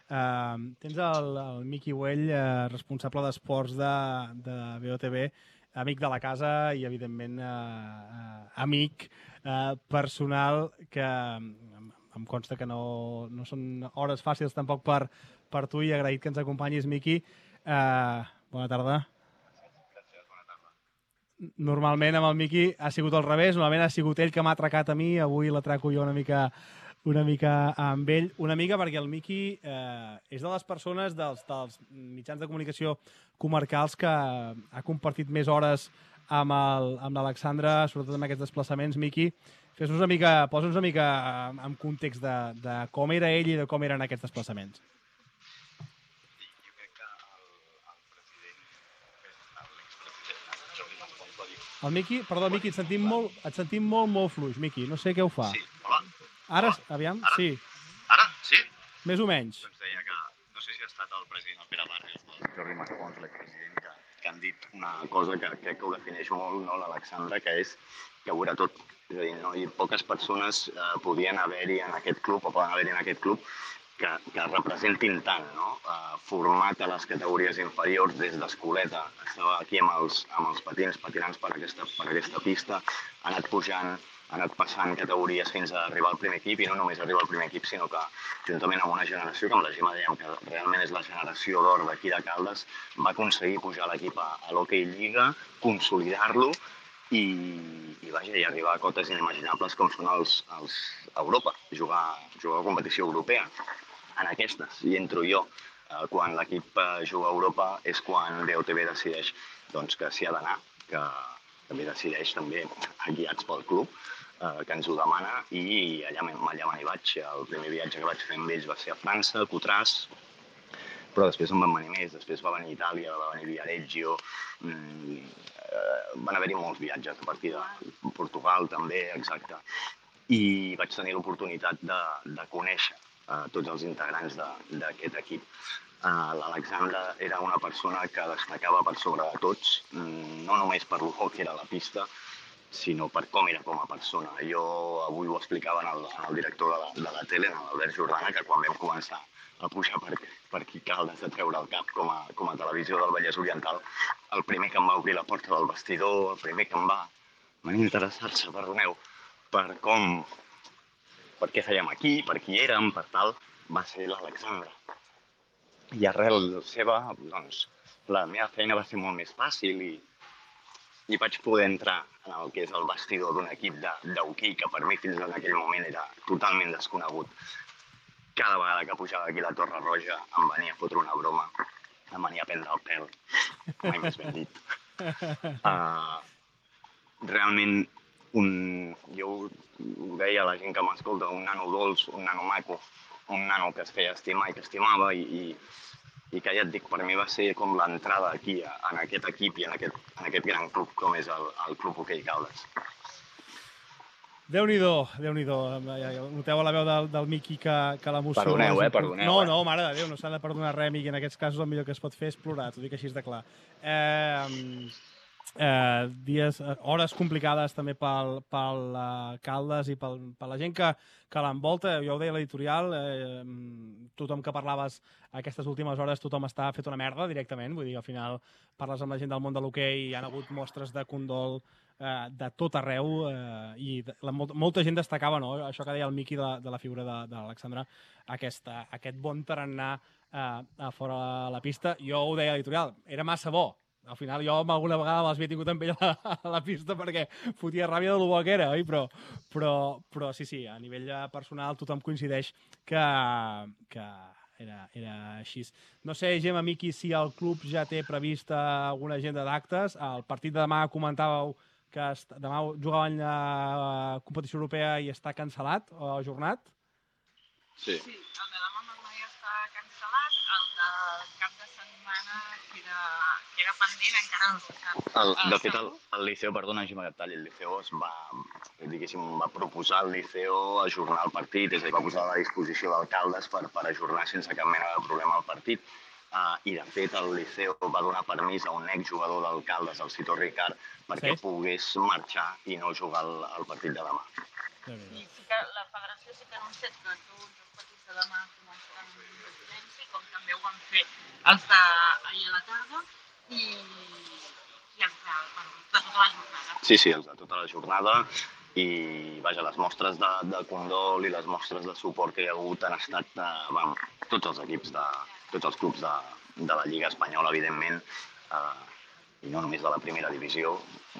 Tens el Miqui Güell, responsable d'esports de BOTV, amic de la casa i, evidentment, amic personal, que em consta que no són hores fàcils tampoc per tu, i agraït que ens acompanyis, Miqui. Bona tarda. Normalment amb el Miqui ha sigut al revés, normalment ha sigut ell que m'ha atracat a mi, avui l'atraco jo una mica amb ell, una mica perquè el Miqui és de les persones dels mitjans de comunicació comarcals que ha compartit més hores amb l'Alexandre, sobretot amb aquests desplaçaments. Miqui, posa'ns una mica en context de com era ell i de com eren aquests desplaçaments. El Miqui, perdó, Miqui, et sentim molt fluix, Miqui, no sé què ho fa. Sí, hola. Ara, aviam, sí. Ara, sí? Més o menys. Doncs deia que, no sé si ha estat el president, el Pere Barrios, el Jordi Mascons, l'expresident, que han dit una cosa que crec que ho defineix molt, no, l'Alexandre, que és que ho era tot. És a dir, no? I poques persones podien haver-hi en aquest club, o poden haver-hi en aquest club, que representin tant, no? Format a les categories inferiors des d'escoleta. Estava aquí amb els patins, patinants per aquesta pista, ha anat pujant, ha anat passant categories fins a arribar al primer equip, i no només arribar al primer equip, sinó que, juntament amb una generació, que amb la Gemma dèiem que realment és la generació d'or d'aquí de Caldes, va aconseguir pujar l'equip a l'Hockey Lliga, consolidar-lo i arribar a cotes inimaginables com són els Europa, jugar a competició europea. En aquestes, i entro jo. Quan l'equip juga a Europa és quan BOTV decideix que s'hi ha d'anar, que també decideix també, guiats pel club, que ens ho demana, i allà me n'hi vaig. El primer viatge que vaig fer amb ells va ser a França, a Coutras, però després en van venir més. Després va venir Itàlia, va venir Viareggio, van haver-hi molts viatges a partir de Portugal també, exacte. I vaig tenir l'oportunitat de conèixer tots els integrants d'aquest equip. L'Alexandre era una persona que destacava per sobre de tots, no només per el hockey era a la pista, sinó per com era com a persona. Jo avui ho explicava en el director de la tele, en l'Albert Jordana, que quan vam començar a pujar per aquí Caldes a treure el cap com a televisió del Vallès Oriental, el primer que em va obrir la porta del vestidor, el primer que em va interessar-se, perdoneu, per què fèiem aquí, per qui érem, per tal, va ser l'Alexandre. I arrel seva, doncs, la meva feina va ser molt més fàcil i vaig poder entrar en el que és el vestidor d'un equip d'hoquei que per mi fins en aquell moment era totalment desconegut. Cada vegada que pujava aquí a la Torre Roja em venia a fotre una broma, em venia a prendre el pèl, mai més ben dit. Realment, jo ho deia a la gent que m'escolta, un nano dolç, un nano maco, un nano que es feia estimar i que estimava, i que ja et dic, per mi va ser com l'entrada aquí, en aquest equip i en aquest gran club com és el Club Hoquei Caldes. Déu-n'hi-do. Noteu a la veu del Miqui que l'emoció... Perdoneu. No, mare de Déu, no s'ha de perdonar res, Miqui. En aquests casos el millor que es pot fer és plorar, t'ho dic així de clar. Hores complicades també pel Caldes i per la gent que l'envolta. Jo ho deia a l'editorial, tothom que parlaves aquestes últimes hores, tothom està fet una merda directament, vull dir, al final parles amb la gent del món de l'hoquei i hi ha hagut mostres de condol de tot arreu, i molta gent destacava, no?, això que deia el Miqui de la figura de l'Alexandre, aquest bon tarannà a fora de la pista. Jo ho deia a l'editorial, era massa bo. Al final jo alguna vegada l'havia tingut amb ell a la pista perquè fotia ràbia de lo bo que era, oi? Però sí, a nivell personal tothom coincideix que era així. No sé, Gemma, Miqui, si el club ja té prevista alguna agenda d'actes. El partit de demà comentàveu que demà jugaven la competició europea i està cancel·lat o ajornat. Sí. Sí, el de demà ja està cancel·lat, el del cap de setmana queda pendent, encara no s'ha... De fet, el Liceo, perdona, Gemma, que et talli, el Liceo va proposar al Liceo ajornar el partit, és a dir, va posar a la disposició d'alcaldes per ajornar sense cap mena de problema el partit. I, de fet, el Liceo va donar permís a un exjugador d'alcaldes, el Cito Ricard, perquè pogués marxar i no jugar el partit de demà. I sí que la federació sí que ha anunciat que tots els partits de demà començaran amb silenci, com també ho van fer els d'ahir a la tarda, i els de tota la jornada. Sí, els de tota la jornada. I, vaja, les mostres de condol i les mostres de suport que hi ha hagut han estat tots els equips, tots els clubs de la Lliga Espanyola, evidentment, i no només de la primera divisió,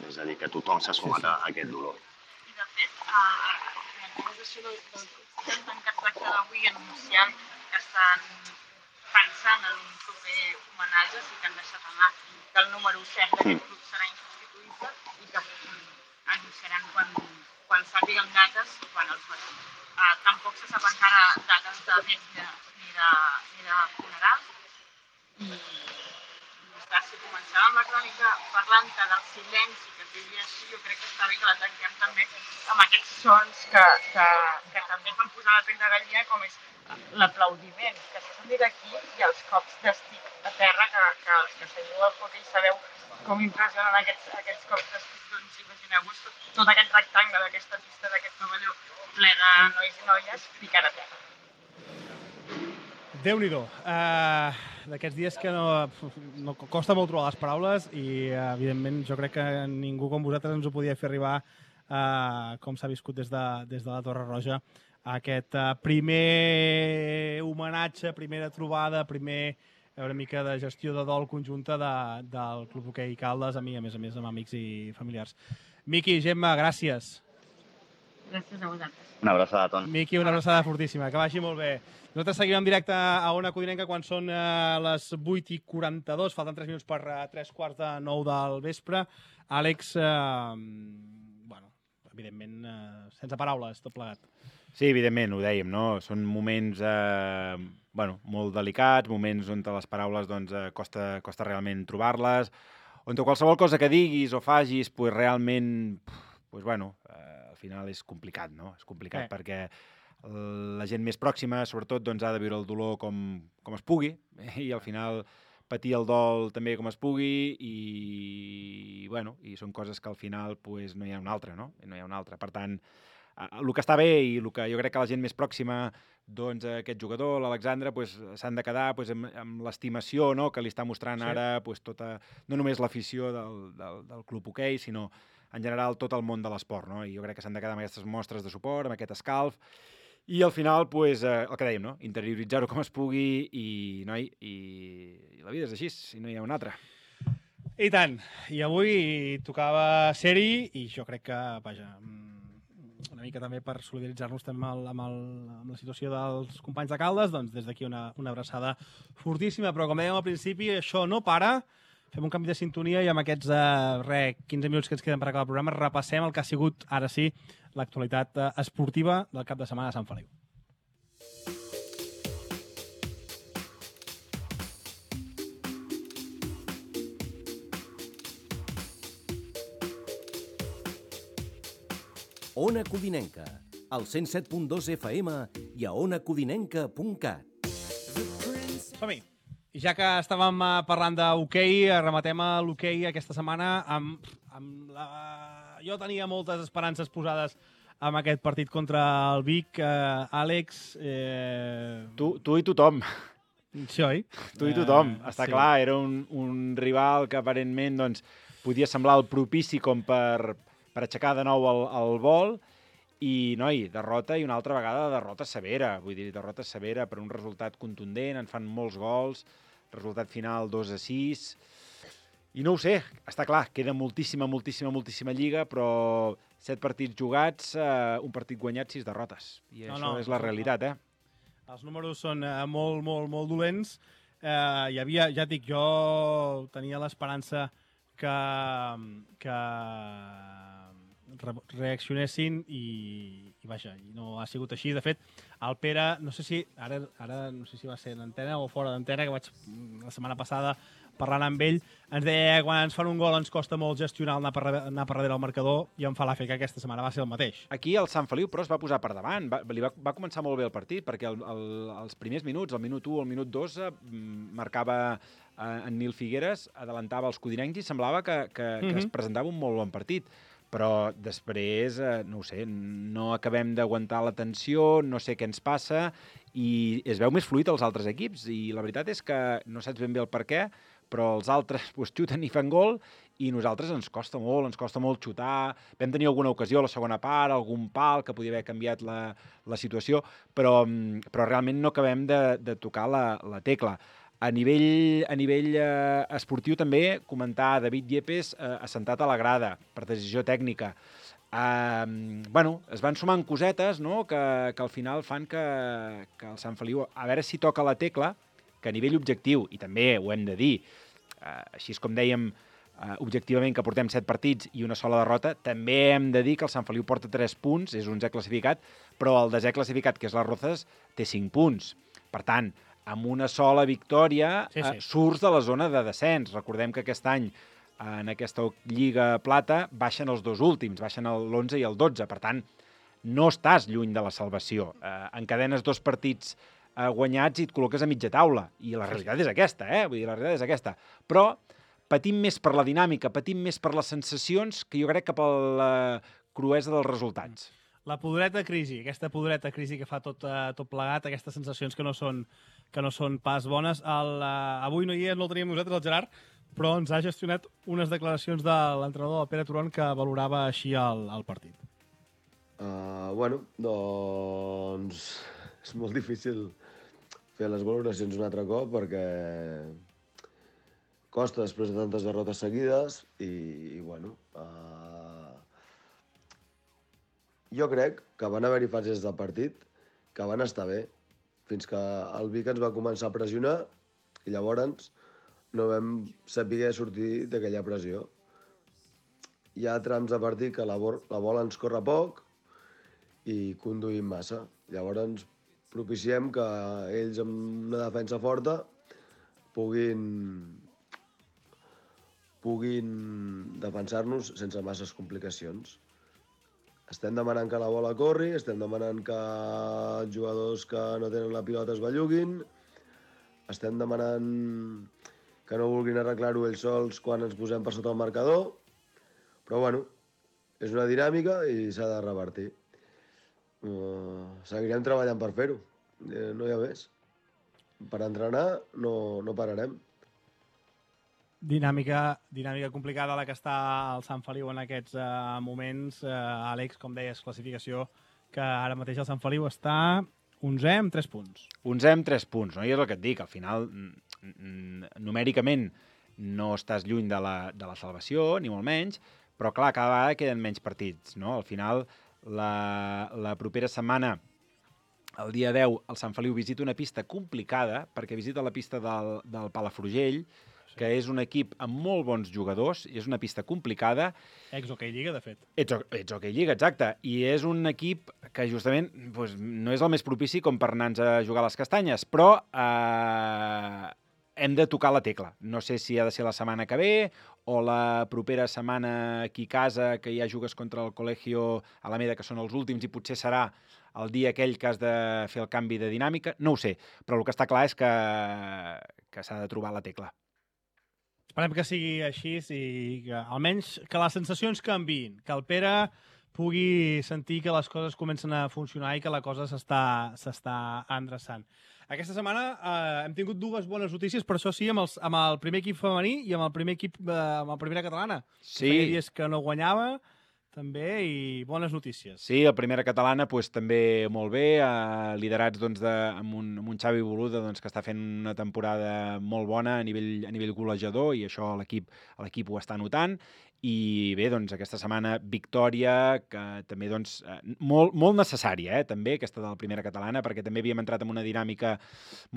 és a dir, que tothom s'ha sumat a aquest dolor. I, de fet, l'organització del club que han tancat l'acte d'avui anunciant que estan pensant en un proper homenatge, sí que han deixat anar que el número 7 d'aquest club serà insubstituïble i que anunciaran quan sàpiguen dates i quan els veiem. Tampoc se sap encara dates de fets ni de funerals. I si començàvem la crònica parlant del silenci que es vivia així, jo crec que està bé que la tanquem també amb aquests sons que també fan posar la pell de gallina, com és l'aplaudiment que s'ha sentit aquí i els cops d'estic a terra que els que seguiu el hoquei sabeu com impressionen aquests cops d'estic. Doncs imagineu-vos tot aquest rectangle d'aquesta pista d'aquest pavelló ple de nois i noies ficant a terra. Déu-n'hi-do. D'aquests dies que no costa molt trobar les paraules i, evidentment, jo crec que ningú com vosaltres ens ho podia fer arribar com s'ha viscut des de la Torre Roja aquest primer homenatge, primera trobada, una mica de gestió de dol conjunta del Club Hoquei Caldes, a més a més, amb amics i familiars. Miqui, Gemma, gràcies. Gràcies a vosaltres. Una abraçada, Ton. Miqui, una abraçada fortíssima, que vagi molt bé. Nosaltres seguim en directe a Ona Codinenca quan són les 8:42, falten 3 minuts per 3:45 del vespre. Àlex, evidentment, sense paraules, tot plegat. Sí, evidentment, ho dèiem, no? Són moments molt delicats, moments on les paraules costa realment trobar-les, on qualsevol cosa que diguis o fagis, realment, al final és complicat, no? És complicat perquè la gent més pròxima, sobretot, ha de viure el dolor com es pugui i al final patir el dol també com es pugui i són coses que al final no hi ha una altra, no? No hi ha una altra. Per tant, el que està bé i el que jo crec que la gent més pròxima aquest jugador, l'Alexandre, s'han de quedar amb l'estimació que li està mostrant ara no només l'afició del Club Hoquei, sinó en general tot el món de l'esport, no? I jo crec que s'han de quedar amb aquestes mostres de suport, amb aquest escalf, i al final, el que dèiem, no? Interioritzar-ho com es pugui i la vida és així, si no hi ha una altra. I tant. I avui tocava ser-hi i jo crec que, una mica també per solidaritzar-nos també amb la situació dels companys de Caldes, doncs des d'aquí una abraçada fortíssima, però com dèiem al principi, això no para. Fem un canvi de sintonia i amb aquests 15 minuts que ens queden per acabar el programa repassem el que ha sigut, ara sí, l'actualitat esportiva del cap de setmana a Sant Feliu. Ona Codinenca, al 107.2 FM i a onacodinenca.cat. Som-hi! I ja que estàvem parlant d'hoquei, rematem a l'hoquei aquesta setmana Jo tenia moltes esperances posades amb aquest partit contra el Vic. Àlex... Tu i tothom. Sí, oi? Tu i tothom. Està clar, era un rival que aparentment podia semblar el propici com per aixecar de nou el vol. I, derrota i una altra vegada derrota severa. Vull dir, derrota severa per un resultat contundent, en fan molts gols, resultat final 2-6. I no ho sé, està clar, queda moltíssima lliga, però 7 partits jugats, un partit guanyat, 6 derrotes. I això és la realitat, Els números són molt, molt, molt dolents. Hi havia, ja et dic, jo tenia l'esperança que reaccionessin i vaja, i no ha sigut així. De fet, el Pere, no sé si ara no sé si va ser en antena o fora d'antena, que vaig la setmana passada parlant amb ell, ens deia que quan ens fan un gol ens costa molt gestionar anar per darrere el marcador, i em fa l'efecte que aquesta setmana va ser el mateix. Aquí el Sant Feliu, però, es va posar per davant. Va començar molt bé el partit, perquè els primers minuts, el minut 1 o el minut 2, marcava en Nil Figueres, adelantava els codinencs i semblava que es presentava un molt bon partit. Però després, no ho sé, no acabem d'aguantar la tensió, no sé què ens passa, i es veu més fluid als altres equips. I la veritat és que no saps ben bé el per què, però els altres xuten i fan gol, i nosaltres ens costa molt xutar. Vam tenir alguna ocasió a la segona part, algun pal que podia haver canviat la situació, però realment no acabem de tocar la tecla. A nivell esportiu també comentar David Yepes assentat a la grada per decisió tècnica. Es van sumant cosetes, no?, que al final fan que el Sant Feliu, a veure si toca la tecla, que a nivell objectiu, i també ho hem de dir, així com dèiem objectivament que portem 7 partits i una sola derrota, també hem de dir que el Sant Feliu porta 3 punts, és 11è classificat, però el 10è classificat, que és les Rozas, té 5 punts. Per tant, amb una sola victòria surts de la zona de descens. Recordem que aquest any, en aquesta Lliga Plata, baixen els 2 últims, baixen l'11 i el 12. Per tant, no estàs lluny de la salvació. Encadenes 2 partits guanyats i et col·loques a mitja taula. I la realitat és aquesta, Vull dir, la realitat és aquesta. Però patim més per la dinàmica, patim més per les sensacions que jo crec que per la cruesa dels resultats. La podreta crisi, aquesta podreta crisi que fa tot plegat, aquestes sensacions que no són pas bones. Avui no hi és, no el teníem nosaltres, el Gerard, però ens ha gestionat unes declaracions de l'entrenador, el Pere Turon, que valorava així el partit. Doncs és molt difícil fer les valoracions un altre cop perquè costa després de tantes derrotes seguides i jo crec que van haver-hi fases del partit que van estar bé, fins que el Vic ens va començar a pressionar i llavors no vam saber sortir d'aquella pressió. Hi ha trams de partit que la bola ens corre poc i conduïm massa. Llavors propiciem que ells amb una defensa forta puguin defensar-nos sense masses complicacions. Estem demanant que la bola corri, estem demanant que els jugadors que no tenen la pilota es belluguin, estem demanant que no vulguin arreglar-ho ells sols quan ens posem per sota el marcador, però és una dinàmica i s'ha de revertir. Seguirem treballant per fer-ho, no hi ha més. Per entrenar no pararem. Dinàmica complicada la que està el Sant Feliu en aquests moments. Àlex, com deies, classificació que ara mateix el Sant Feliu està 11è amb 3 punts. 11è amb 3 punts, no? I és el que et dic, al final, numèricament no estàs lluny de la salvació, ni molt menys, però clar, cada vegada queden menys partits, no? Al final, la propera setmana, el dia 10, el Sant Feliu visita una pista complicada, perquè visita la pista del Palafrugell, que és un equip amb molt bons jugadors, i és una pista complicada. Ex-Hockey Lliga, de fet. Ex-Hockey Lliga, exacte. I és un equip que justament no és el més propici com per anar-nos a jugar a les castanyes, però hem de tocar la tecla. No sé si ha de ser la setmana que ve o la propera setmana aquí a casa, que ja jugues contra el Col·legio Alameda, que són els últims, i potser serà el dia aquell que has de fer el canvi de dinàmica. No ho sé, però el que està clar és que s'ha de trobar la tecla. Esperem que sigui així i que almenys que les sensacions canviïn, que el Pere pugui sentir que les coses comencen a funcionar i que la cosa s'està endreçant. Aquesta setmana hem tingut 2 bones notícies, per això sí, amb el primer equip femení i amb el primer equip, amb la primera catalana. Sí. Feia dies que no guanyava, també, i bones notícies. Sí, la primera catalana també molt bé, liderats amb un Xavi Boluda que està fent una temporada molt bona a nivell golejador, i això l'equip ho està notant. I bé, aquesta setmana victòria, que també molt necessària, també, aquesta de la primera catalana, perquè també havíem entrat en una dinàmica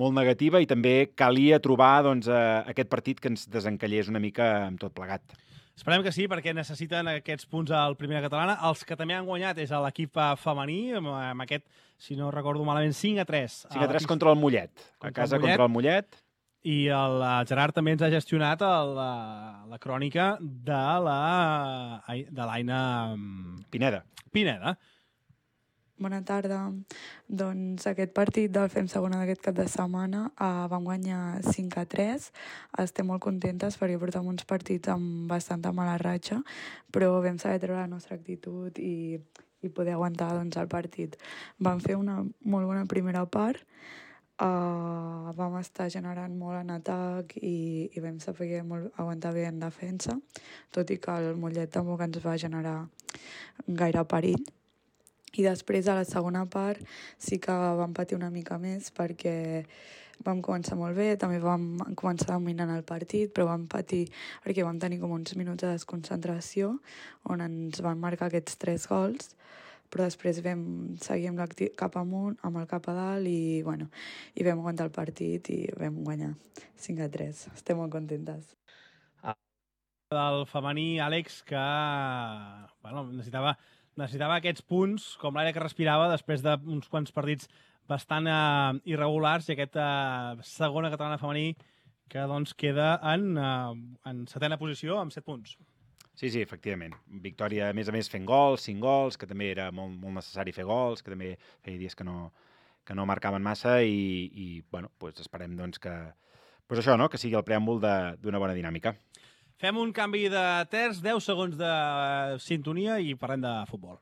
molt negativa i també calia trobar aquest partit que ens desencallés una mica amb tot plegat. Esperem que sí, perquè necessiten aquests punts al primera catalana. Els que també han guanyat és l'equip femení, amb aquest, si no recordo malament, 5-3. 5-3 contra el Mollet, a casa contra el Mollet. I el Gerard també ens ha gestionat la crònica de l'Aina Pineda. Bona tarda. Doncs aquest partit del FEM segona d'aquest cap de setmana vam guanyar 5-3. Estem molt contentes perquè portem uns partits amb bastanta mala ratxa, però vam saber treure la nostra actitud i poder aguantar el partit. Vam fer una molt bona primera part, vam estar generant molt en atac i vam saber aguantar bé en defensa, tot i que el Mollet tampoc ens va generar gaire perill. I després, a la segona part, sí que vam patir una mica més perquè vam començar molt bé, també vam començar dominant el partit, però vam patir perquè vam tenir com uns minuts de desconcentració on ens van marcar aquests 3 gols, però després vam seguir cap amunt, amb el cap a dalt i vam aguantar el partit i vam guanyar 5-3. Estem molt contentes. Del femení, Àlex, que necessitava aquests punts, com l'aire que respirava, després d'uns quants partits bastant irregulars, i aquesta segona catalana femení que queda en 7ª posició amb 7 punts. Sí, efectivament. Victòria, a més, fent gols, 5 gols, que també era molt necessari fer gols, que també feia dies que no marcaven massa i esperem que sigui el preàmbul d'una bona dinàmica. Fem un canvi de terç, 10 segons de sintonia i parlem de futbol.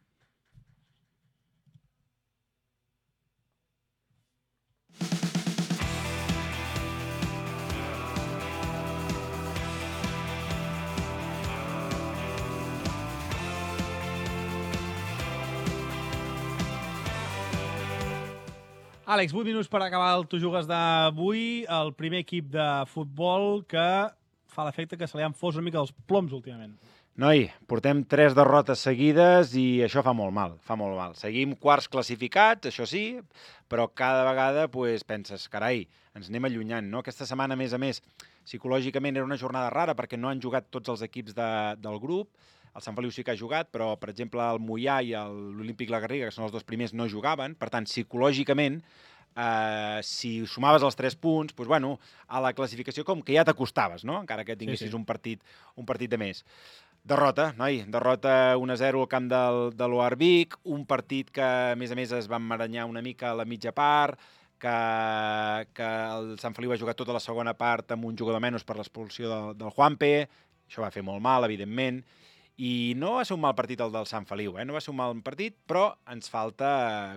Àlex, 8 minuts per acabar el Tu Jugues d'avui. El primer equip de futbol que fa l'efecte que se li han fos una mica els ploms últimament. Noi, portem 3 derrotes seguides i això fa molt mal, Seguim quarts classificats, això sí, però cada vegada penses, carai, ens anem allunyant, no? Aquesta setmana, a més, psicològicament era una jornada rara perquè no han jugat tots els equips del grup. El Sant Feliu sí que ha jugat, però, per exemple, el Moià i l'Olímpic La Garriga, que són els 2 primers, no jugaven. Per tant, psicològicament, si sumaves els 3 punts, a la classificació com que ja t'acostaves, no? Encara que tinguessis un partit de més. Derrota, noi, derrota 1-0 al camp de l'Oarvic, un partit que, a més, es va emmaranyar una mica a la mitja part, que el Sant Feliu ha jugat tota la segona part amb un jugador menys per l'expulsió del Juanpe, això va fer molt mal, evidentment, i no va ser un mal partit el del Sant Feliu, no va ser un mal partit, però ens falta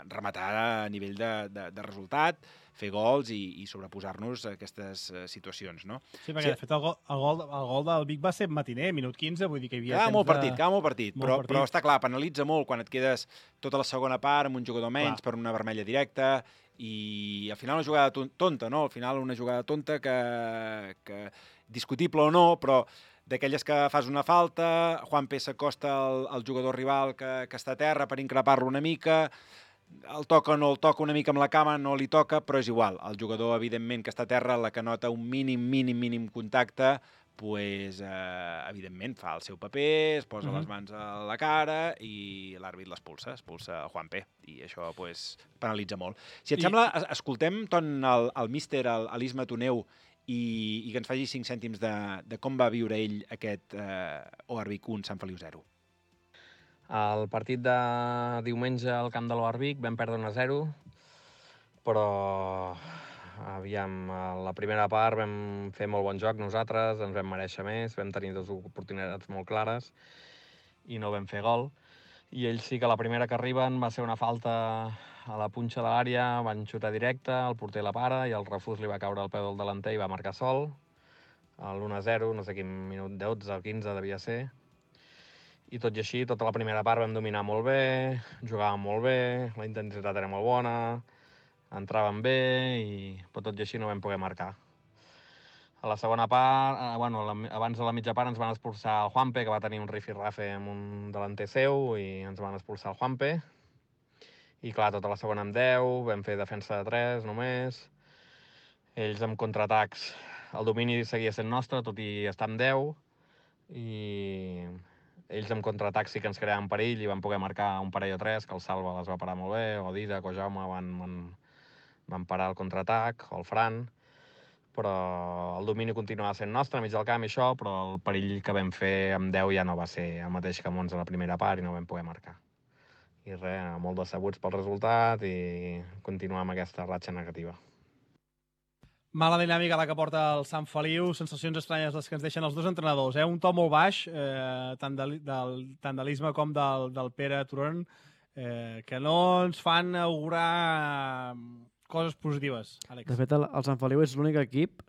rematar a nivell de resultat, fer gols i sobreposar-nos a aquestes situacions, no? Sí, perquè de fet el gol del Vic va ser matiner, minut 15, vull dir que hi havia temps de... Quedava molt partit, però està clar, penalitza molt quan et quedes tota la segona part amb un jugador menys per una vermella directa i al final una jugada tonta, no? Al final una jugada tonta que discutible o no, però d'aquelles que fas una falta, Juanpe s'acosta al jugador rival que està a terra per increpar-lo una mica, el toca o no el toca una mica amb la cama, no li toca, però és igual. El jugador, evidentment, que està a terra, la que nota un mínim contacte, evidentment, fa el seu paper, es posa les mans a la cara i l'àrbit expulsa el Juanpe, i això penalitza molt. Si et sembla, escoltem el míster, l'Isma Toneu, i que ens faci 5 cèntims de com va viure ell aquest Oarvic 1, Sant Feliu 0. El partit de diumenge al camp de l'Oarvic vam perdre 1-0, però la primera part vam fer molt bon joc nosaltres, ens vam mereixer més, vam tenir 2 oportunitats molt clares i no vam fer gol. I ells sí que la primera que arriben va ser una falta a la punxa de l'àrea, van xutar directe, el porter la para i el refús li va caure al peu del delanter i va marcar sol. L'1-0, no sé quin minut, 12 o 15 devia ser. i tot i així, tota la primera part vam dominar molt bé, jugàvem molt bé, la intensitat era molt bona, entràvem bé, però tot i així no vam poder marcar. A la segona part, abans de la mitja part ens van expulsar el Juanpe, que va tenir un rifirrafe amb un delanter seu, i ens van expulsar el Juanpe. I clar, tota la segona amb 10, vam fer defensa de 3 només. Ells amb contraatacs, el domini seguia sent nostre, tot i estar amb 10. I ells amb contraatacs sí que ens creaven perill i van poder marcar un parell o 3, que el Salva les va parar molt bé, o Didac o Jaume van parar el contraatac, o el Fran. Però el domini continuava sent nostre, a mig del camp i això, però el perill que vam fer amb 10 ja no va ser el mateix que amb 11 a la primera part i no vam poder marcar. I res, molt decebuts pel resultat i continuar amb aquesta ratxa negativa. Mala dinàmica la que porta el Sant Feliu, sensacions estranyes les que ens deixen els dos entrenadors. Un to molt baix, tant de l'Isma com del Pere Turon, que no ens fan augurar coses positives, Àlex. De fet, el Sant Feliu és l'únic equip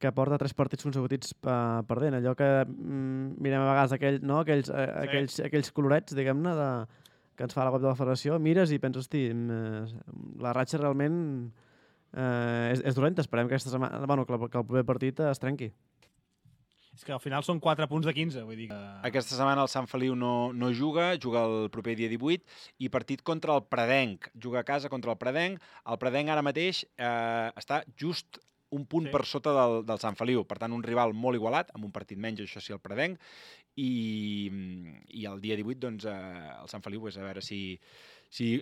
que porta 3 partits consecutius perdent. Allò que mirem a vegades aquells colorets, diguem-ne, que ens fa la web de la federació, mires i penses, hosti, la ratxa realment és dolenta. Esperem que aquesta setmana, que el proper partit es trenqui. És que al final són 4 punts de 15, vull dir que... Aquesta setmana el Sant Feliu no juga el proper dia 18, i partit contra el Predenc. Juga a casa contra el Predenc. El Predenc ara mateix està just un punt per sota del Sant Feliu. Per tant, un rival molt igualat, amb un partit menys, això sí, el Predenc. I el dia 18, doncs, el Sant Feliu, a veure si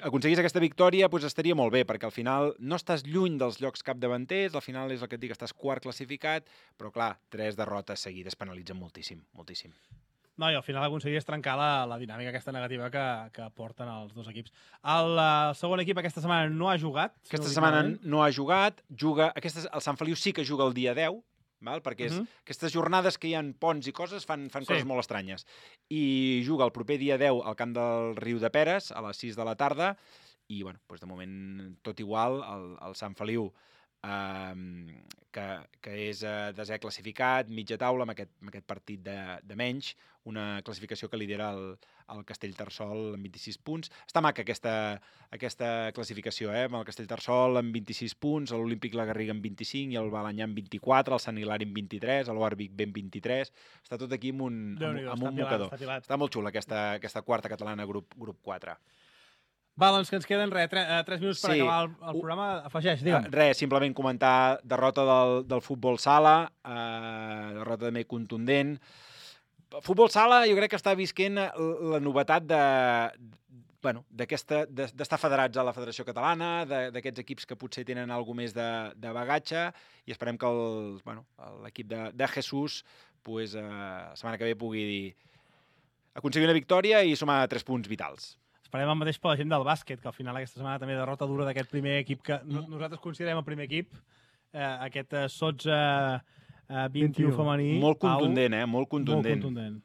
aconseguís aquesta victòria, doncs estaria molt bé, perquè al final no estàs lluny dels llocs capdavanters, al final és el que et dic, estàs quart classificat, però clar, 3 derrotes seguides penalitzen moltíssim, moltíssim. No, i al final aconseguies trencar la dinàmica aquesta negativa que porten els dos equips. El segon equip aquesta setmana no ha jugat. Aquesta setmana no ha jugat, el Sant Feliu sí que juga el dia 10, perquè aquestes jornades que hi ha ponts i coses fan coses molt estranyes. I juga el proper dia 10 al camp del Riu de Peres, a les 6 de la tarda, i de moment tot igual, el Sant Feliu, que és desè classificat, mitja taula, amb aquest partit de menys, una classificació que lidera el Castellterçol amb 26 punts. Està maca aquesta classificació, amb el Castellterçol amb 26 punts, l'Olímpic La Garriga amb 25 i el Balanyà amb 24, el Sant Hilari amb 23, l'Orbic amb 23. Està tot aquí amb un mocador. Està molt xula aquesta quarta catalana, grup 4. Va, doncs que ens queden 3 minuts per acabar el programa. Afegeix, digue'm. Simplement comentar derrota del futbol sala, derrota també contundent. Futbol sala jo crec que està visquent la novetat d'estar federats a la Federació Catalana, d'aquests equips que potser tenen alguna més de bagatge, i esperem que l'equip de Jesús la setmana que ve pugui aconseguir una victòria i sumar 3 punts vitals. Esperem el mateix per la gent del bàsquet, que al final aquesta setmana també derrota dura d'aquest primer equip que nosaltres considerem el primer equip, aquest Sots 21 femení. Molt contundent, Molt contundent.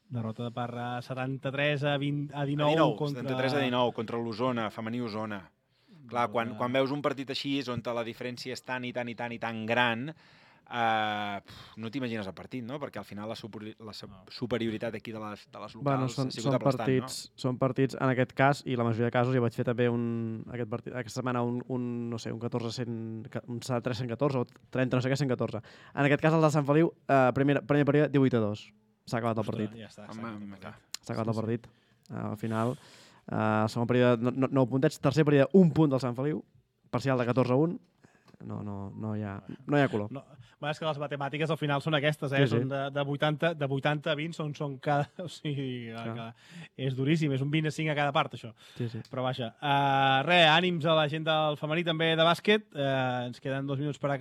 Derrota per 73 a 19 contra... 73 a 19 contra l'Osona, femení Osona. Clar, quan veus un partit així, on la diferència és tan gran, no t'imagines el partit, no? Perquè al final la superioritat aquí de les locals ha sigut aplastant, no? Són partits, en aquest cas, i la majoria de casos, jo vaig fer també aquesta setmana un 73-114 o 30 no sé què, 114. En aquest cas el de Sant Feliu, primer període 18-2. S'ha acabat el partit. Ja està. S'ha acabat el partit. Al final, el segon període 9 puntets, tercer període 1 punt del Sant Feliu, parcial de 14-1. No hi ha color. És que les matemàtiques al final són aquestes, són de 80 a 20, són cada... O sigui, és duríssim, és un 20 a 5 a cada part, això. Sí. Però vaja. Ànims a la gent del femení, també de bàsquet. Ens queden 1 minut per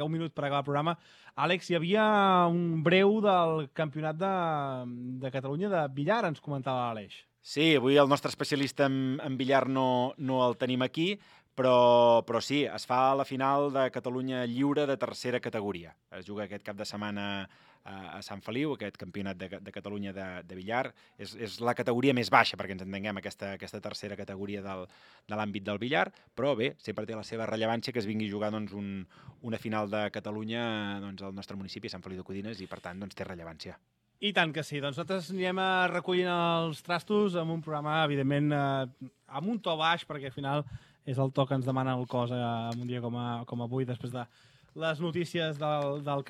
acabar el programa. Àlex, hi havia un breu del campionat de Catalunya de billar, ens comentava l'Aleix. Sí, avui el nostre especialista en billar no el tenim aquí, però sí, es fa la final de Catalunya Lliure de tercera categoria. Es juga aquest cap de setmana a Sant Feliu, aquest campionat de Catalunya de billar. És la categoria més baixa, perquè ens entenguem, aquesta tercera categoria de l'àmbit del billar, però bé, sempre té la seva rellevància que es vingui a jugar una final de Catalunya al nostre municipi, Sant Feliu de Codines, i per tant té rellevància. I tant que sí. Doncs nosaltres anirem recollint els trastos amb un programa, evidentment, amb un to baix, perquè al final és el to que ens demana el cos en un dia com avui, després de les notícies del camp